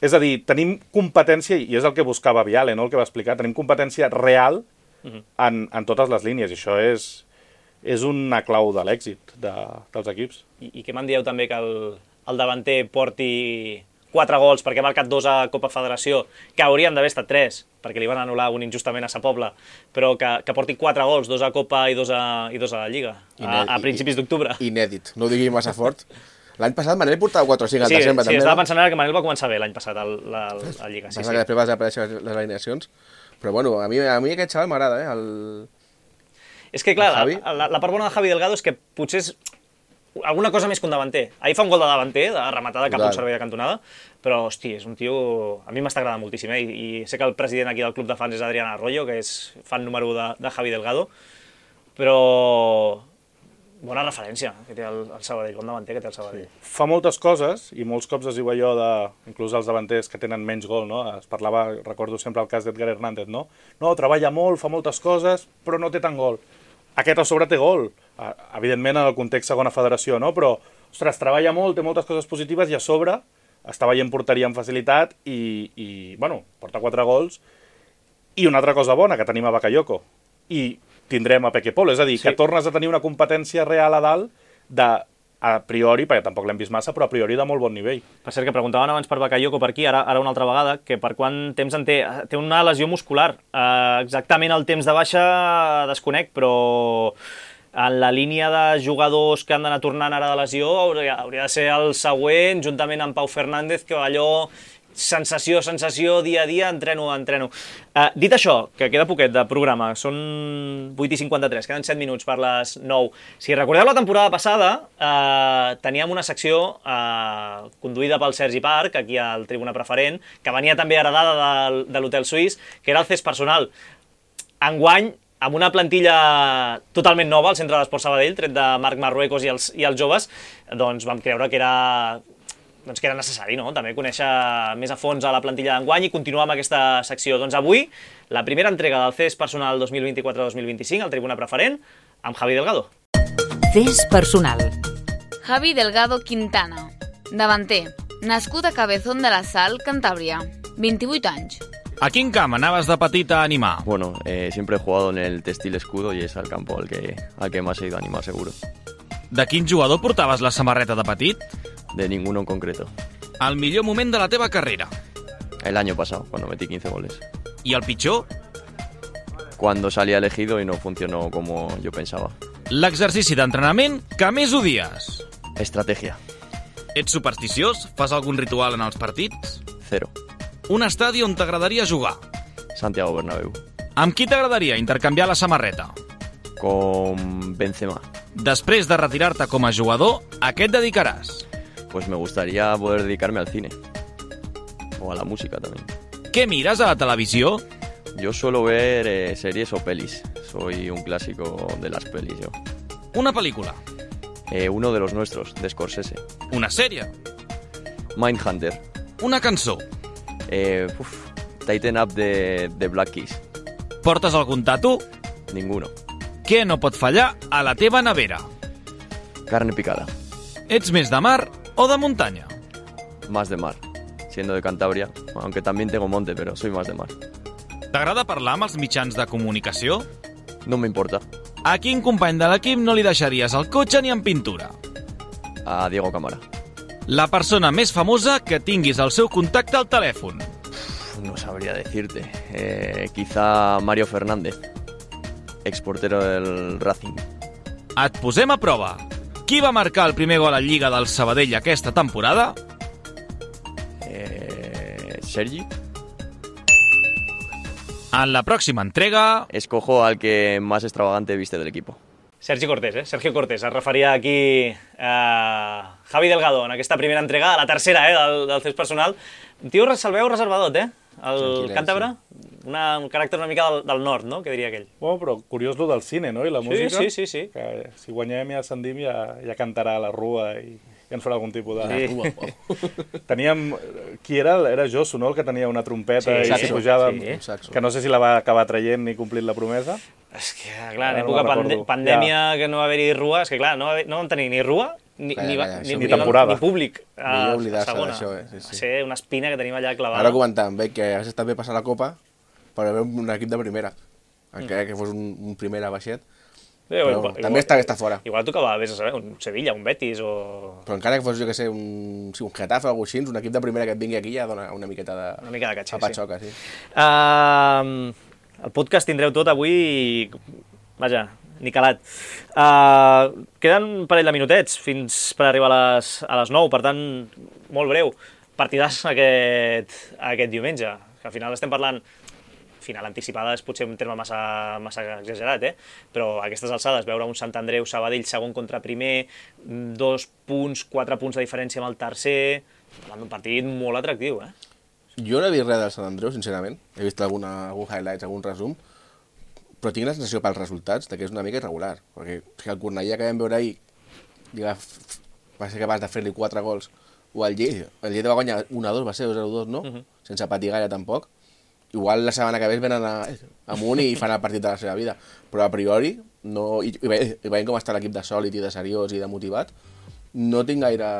És a dir, tenim competència, i és el que buscava Viale, no el que va explicar, tenim competència real uh-huh. en, en totes les línies, i això és, és una clau de l'èxit de, dels equips. I, i què me'n dieu també que el, el davanter porti quatre gols perquè ha marcat dos a Copa Federació, que haurien d'haver estat tres, perquè li van anul·lar un injustament a Sa Pobla, però que, que porti quatre gols, dos a Copa i dos a, i dos a la Lliga, a, a principis d'octubre. Inèdit, no ho digui massa fort. L'any passat Manel portava quatre o cinc al sí, desembre, sí, també. Sí, estava pensant ara que Manel va començar bé l'any passat a la, la Lliga. Sí, Passa sí. que després va desaparèixer les alineacions, però bueno, a mi, a mi aquest xaval m'agrada, eh? El... És que clar, la, la, la part bona de Javi Delgado és que potser és alguna cosa més que un davanter. Ahir fa un gol de davanter, de rematada cap a un servei de cantonada, però, hosti, és un tio... A mi m'està agradant moltíssim, eh? I, I sé que el president aquí del club de fans és Adrián Arroyo, que és fan número u de, de Javi Delgado, però... Bona referència que té el, el Sabadell, bon davanter que té el Sabadell. Sí. Fa moltes coses, i molts cops es diu allò de, inclús els davanters que tenen menys gol, no? Es parlava, recordo sempre el cas d'Edgar Hernández, no? No, treballa molt, fa moltes coses, però no té tant gol. Aquest a sobre té gol, evidentment en el context segona federació, no? Però, ostres, treballa molt, té moltes coses positives i a sobre està veient porteria amb facilitat i, i bueno, porta quatre gols. I una altra cosa bona, que tenim a Bakayoko. I tindrem a Peque Polo, és a dir, sí. que tornes a tenir una competència real a dalt de, a priori, perquè tampoc l'hem vist massa, però a priori de molt bon nivell. Per cert, que preguntaven abans per Bakayoko per aquí, ara, ara una altra vegada, que per quant temps en té? Té una lesió muscular. Uh, exactament el temps de baixa desconec, però en la línia de jugadors que han d'anar tornant ara de lesió hauria, hauria de ser el següent, juntament amb Pau Fernández, que allò... sensació, sensació, dia a dia, entreno, entreno. Uh, dit això, que queda poquet de programa, són vuit i cinquanta-tres, queden set minuts per les nou. Si recordeu la temporada passada, uh, teníem una secció uh, conduïda pel Sergi Parc, aquí al Tribuna Preferent, que venia també heredada de, de l'Hotel Suís, que era el C E S personal. Enguany, amb una plantilla totalment nova al Centre d'Esport Sabadell, tret de Marc Marruecos i els, i els joves, doncs vam creure que era... doncs que era necessari, no?, també conèixer més a fons a la plantilla d'enguany i continuar amb aquesta secció. Doncs avui, la primera entrega del C E S Personal dos mil vint-i-quatre dos mil vint-i-cinc, al Tribuna Preferent, amb Javi Delgado. C E S Personal. Javi Delgado Quintana, davanter, nascut a Cabezón de la Sal, Cantàbria, vint-i-vuit anys. A quin camp anaves de petit a animar? Bueno, eh, siempre he jugado en el Textil Escudo y es al campo al que, al que más he ido a animar, seguro. De quin jugador portaves la samarreta de petit? De ninguno en concreto. El millor moment de la teva carrera? El año pasado, cuando metí quince goles. I el pitjor? Cuando salí elegido y no funcionó como yo pensaba. L'exercici d'entrenament que més odies? Estrategia. Ets supersticiós? Fas algun ritual en els partits? Cero. Un estadi on t'agradaria jugar? Santiago Bernabéu. Amb qui t'agradaria intercanviar la samarreta? Con Benzema. Després de retirar-te com a jugador, a què et dedicaràs? Pues me gustaría poder dedicarme al cine. O a la música también. Què mires a la televisió? Yo suelo ver eh, series o pelis. Soy un clásico de las pelis, yo. Una pel·lícula? Eh, uno de los nuestros, de Scorsese. Una sèrie? Mindhunter. Una cançó? Eh, uf, Tighten Up de, de Black Keys. Portes algun tatu? Ninguno. Què no pot fallar a la teva nevera? Carne picada. Ets més de mar o de muntanya? Más de mar. Siendo de Cantabria, aunque también tengo monte, pero soy más de mar. T'agrada parlar amb els mitjans de comunicació? No me importa. A quin company de l'equip no li deixaries el cotxe ni en pintura? A Diego Camara. La persona més famosa que tinguis al seu contacte al telèfon? No sabría decirte. Eh, quizá Mario Fernández, exportero del Racing. Et posem a prova. Qui va marcar el primer gol a Lliga del Sabadell aquesta temporada? Eh, Sergi. En la pròxima entrega... Escojo al que más extravagante viste del equipo. Sergi Cortés, eh? Sergio Cortés. Es referia aquí a Javi Delgado en aquesta primera entrega, a la tercera, eh, del, del test personal. Un tio, el veu reservadot, eh? El càntabre, una, un caràcter una mica del, del nord, no?, que diria aquell. Bueno, però curiós lo del cine, no?, i la música. Sí, sí, sí, sí. Que si guanyem i ascendim ja, ja cantarà la Rua i ja ens farà algun tipus de... Sí. Teníem... Qui era? Era Josu, no?, el que tenia una trompeta sí, i s'hi pujava... Sí. Que no sé si la va acabar traient ni complint la promesa. És que, clar, en època pande pandèmia ja. Que no va haver-hi Rua, és que, clar, no, va haver, no vam tenir ni Rua ni, clar, ni, clar, ni, ni, ni temporada. Ni públic a, a segona. Això, eh? Sí, sí. Va ser una espina que tenim allà clavada. Ara comentàvem bé que hagués estat bé passar la Copa per veure un equip de primera, encara mm. que fos un, un primera baixet. Sí, però igual, també està bé estar fora. Igual tocava, vés a saber, un Sevilla, un Betis o... Però encara que fos, jo que sé, un, sí, un Getafe o alguna cosa així, un equip de primera que et vingui aquí ja dona una miqueta de... Una mica de catxer, patxoca, sí. sí. Uh, el podcast tindreu tot avui i... Vaja, ni calat. Uh, queden un parell de minutets fins per arribar a les, a les nou, per tant, molt breu. Partidàs aquest, aquest diumenge. Que al final estem parlant... Final anticipada és potser un terme massa, massa exagerat, eh? Però a aquestes alçades, veure un Sant Andreu Sabadell segon contra primer, dos punts, quatre punts de diferència amb el tercer... Parlant d'un partit molt atractiu, eh? Jo no he vist res del Sant Andreu, sincerament. He vist alguna, algun highlights, algun resum, però tinc la sensació pels resultats que és una mica irregular, perquè si el Cornellà que vam veure ahir diga, va ser capaç de fer-li quatre gols, o el Lleida, el Lleida va guanyar un a dos, va ser dos a dos, no? Uh-huh. Sense patir gaire tampoc. Igual la setmana que ve venen a, amunt i fan el partit de la seva vida, però a priori, no, i, i, i veient com està l'equip de sòlid i de seriós i de motivat, no tinc gaire...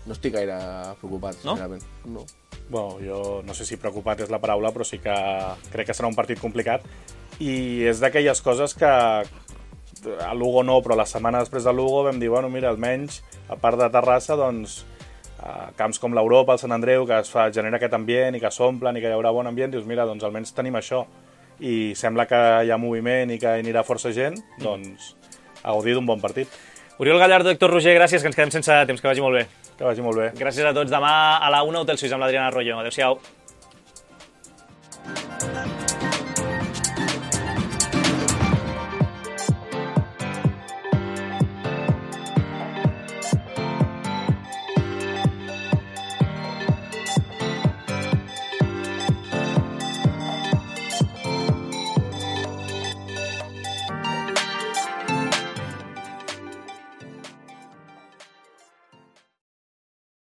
no estic gaire preocupat, no? sincerament. No? Bueno, jo no sé si preocupat és la paraula, però sí que crec que serà un partit complicat i és d'aquelles coses que a Lugo no, però la setmana després de Lugo vam dir, bueno, mira, almenys, a part de Terrassa, doncs, a camps com l'Europa, el Sant Andreu, que es fa, genera aquest ambient i que s'omplen i que hi haurà bon ambient, dius, mira, doncs almenys tenim això. I sembla que hi ha moviment i que hi anirà força gent, doncs a gaudir d'un bon partit. Oriol Gallardo, Héctor Roger, gràcies, que ens quedem sense temps, que vagi molt bé. Que vagi molt bé. Gràcies a tots. Demà a la una, Hotel Suís amb l'Adriana Arroyo. Adéu-siau.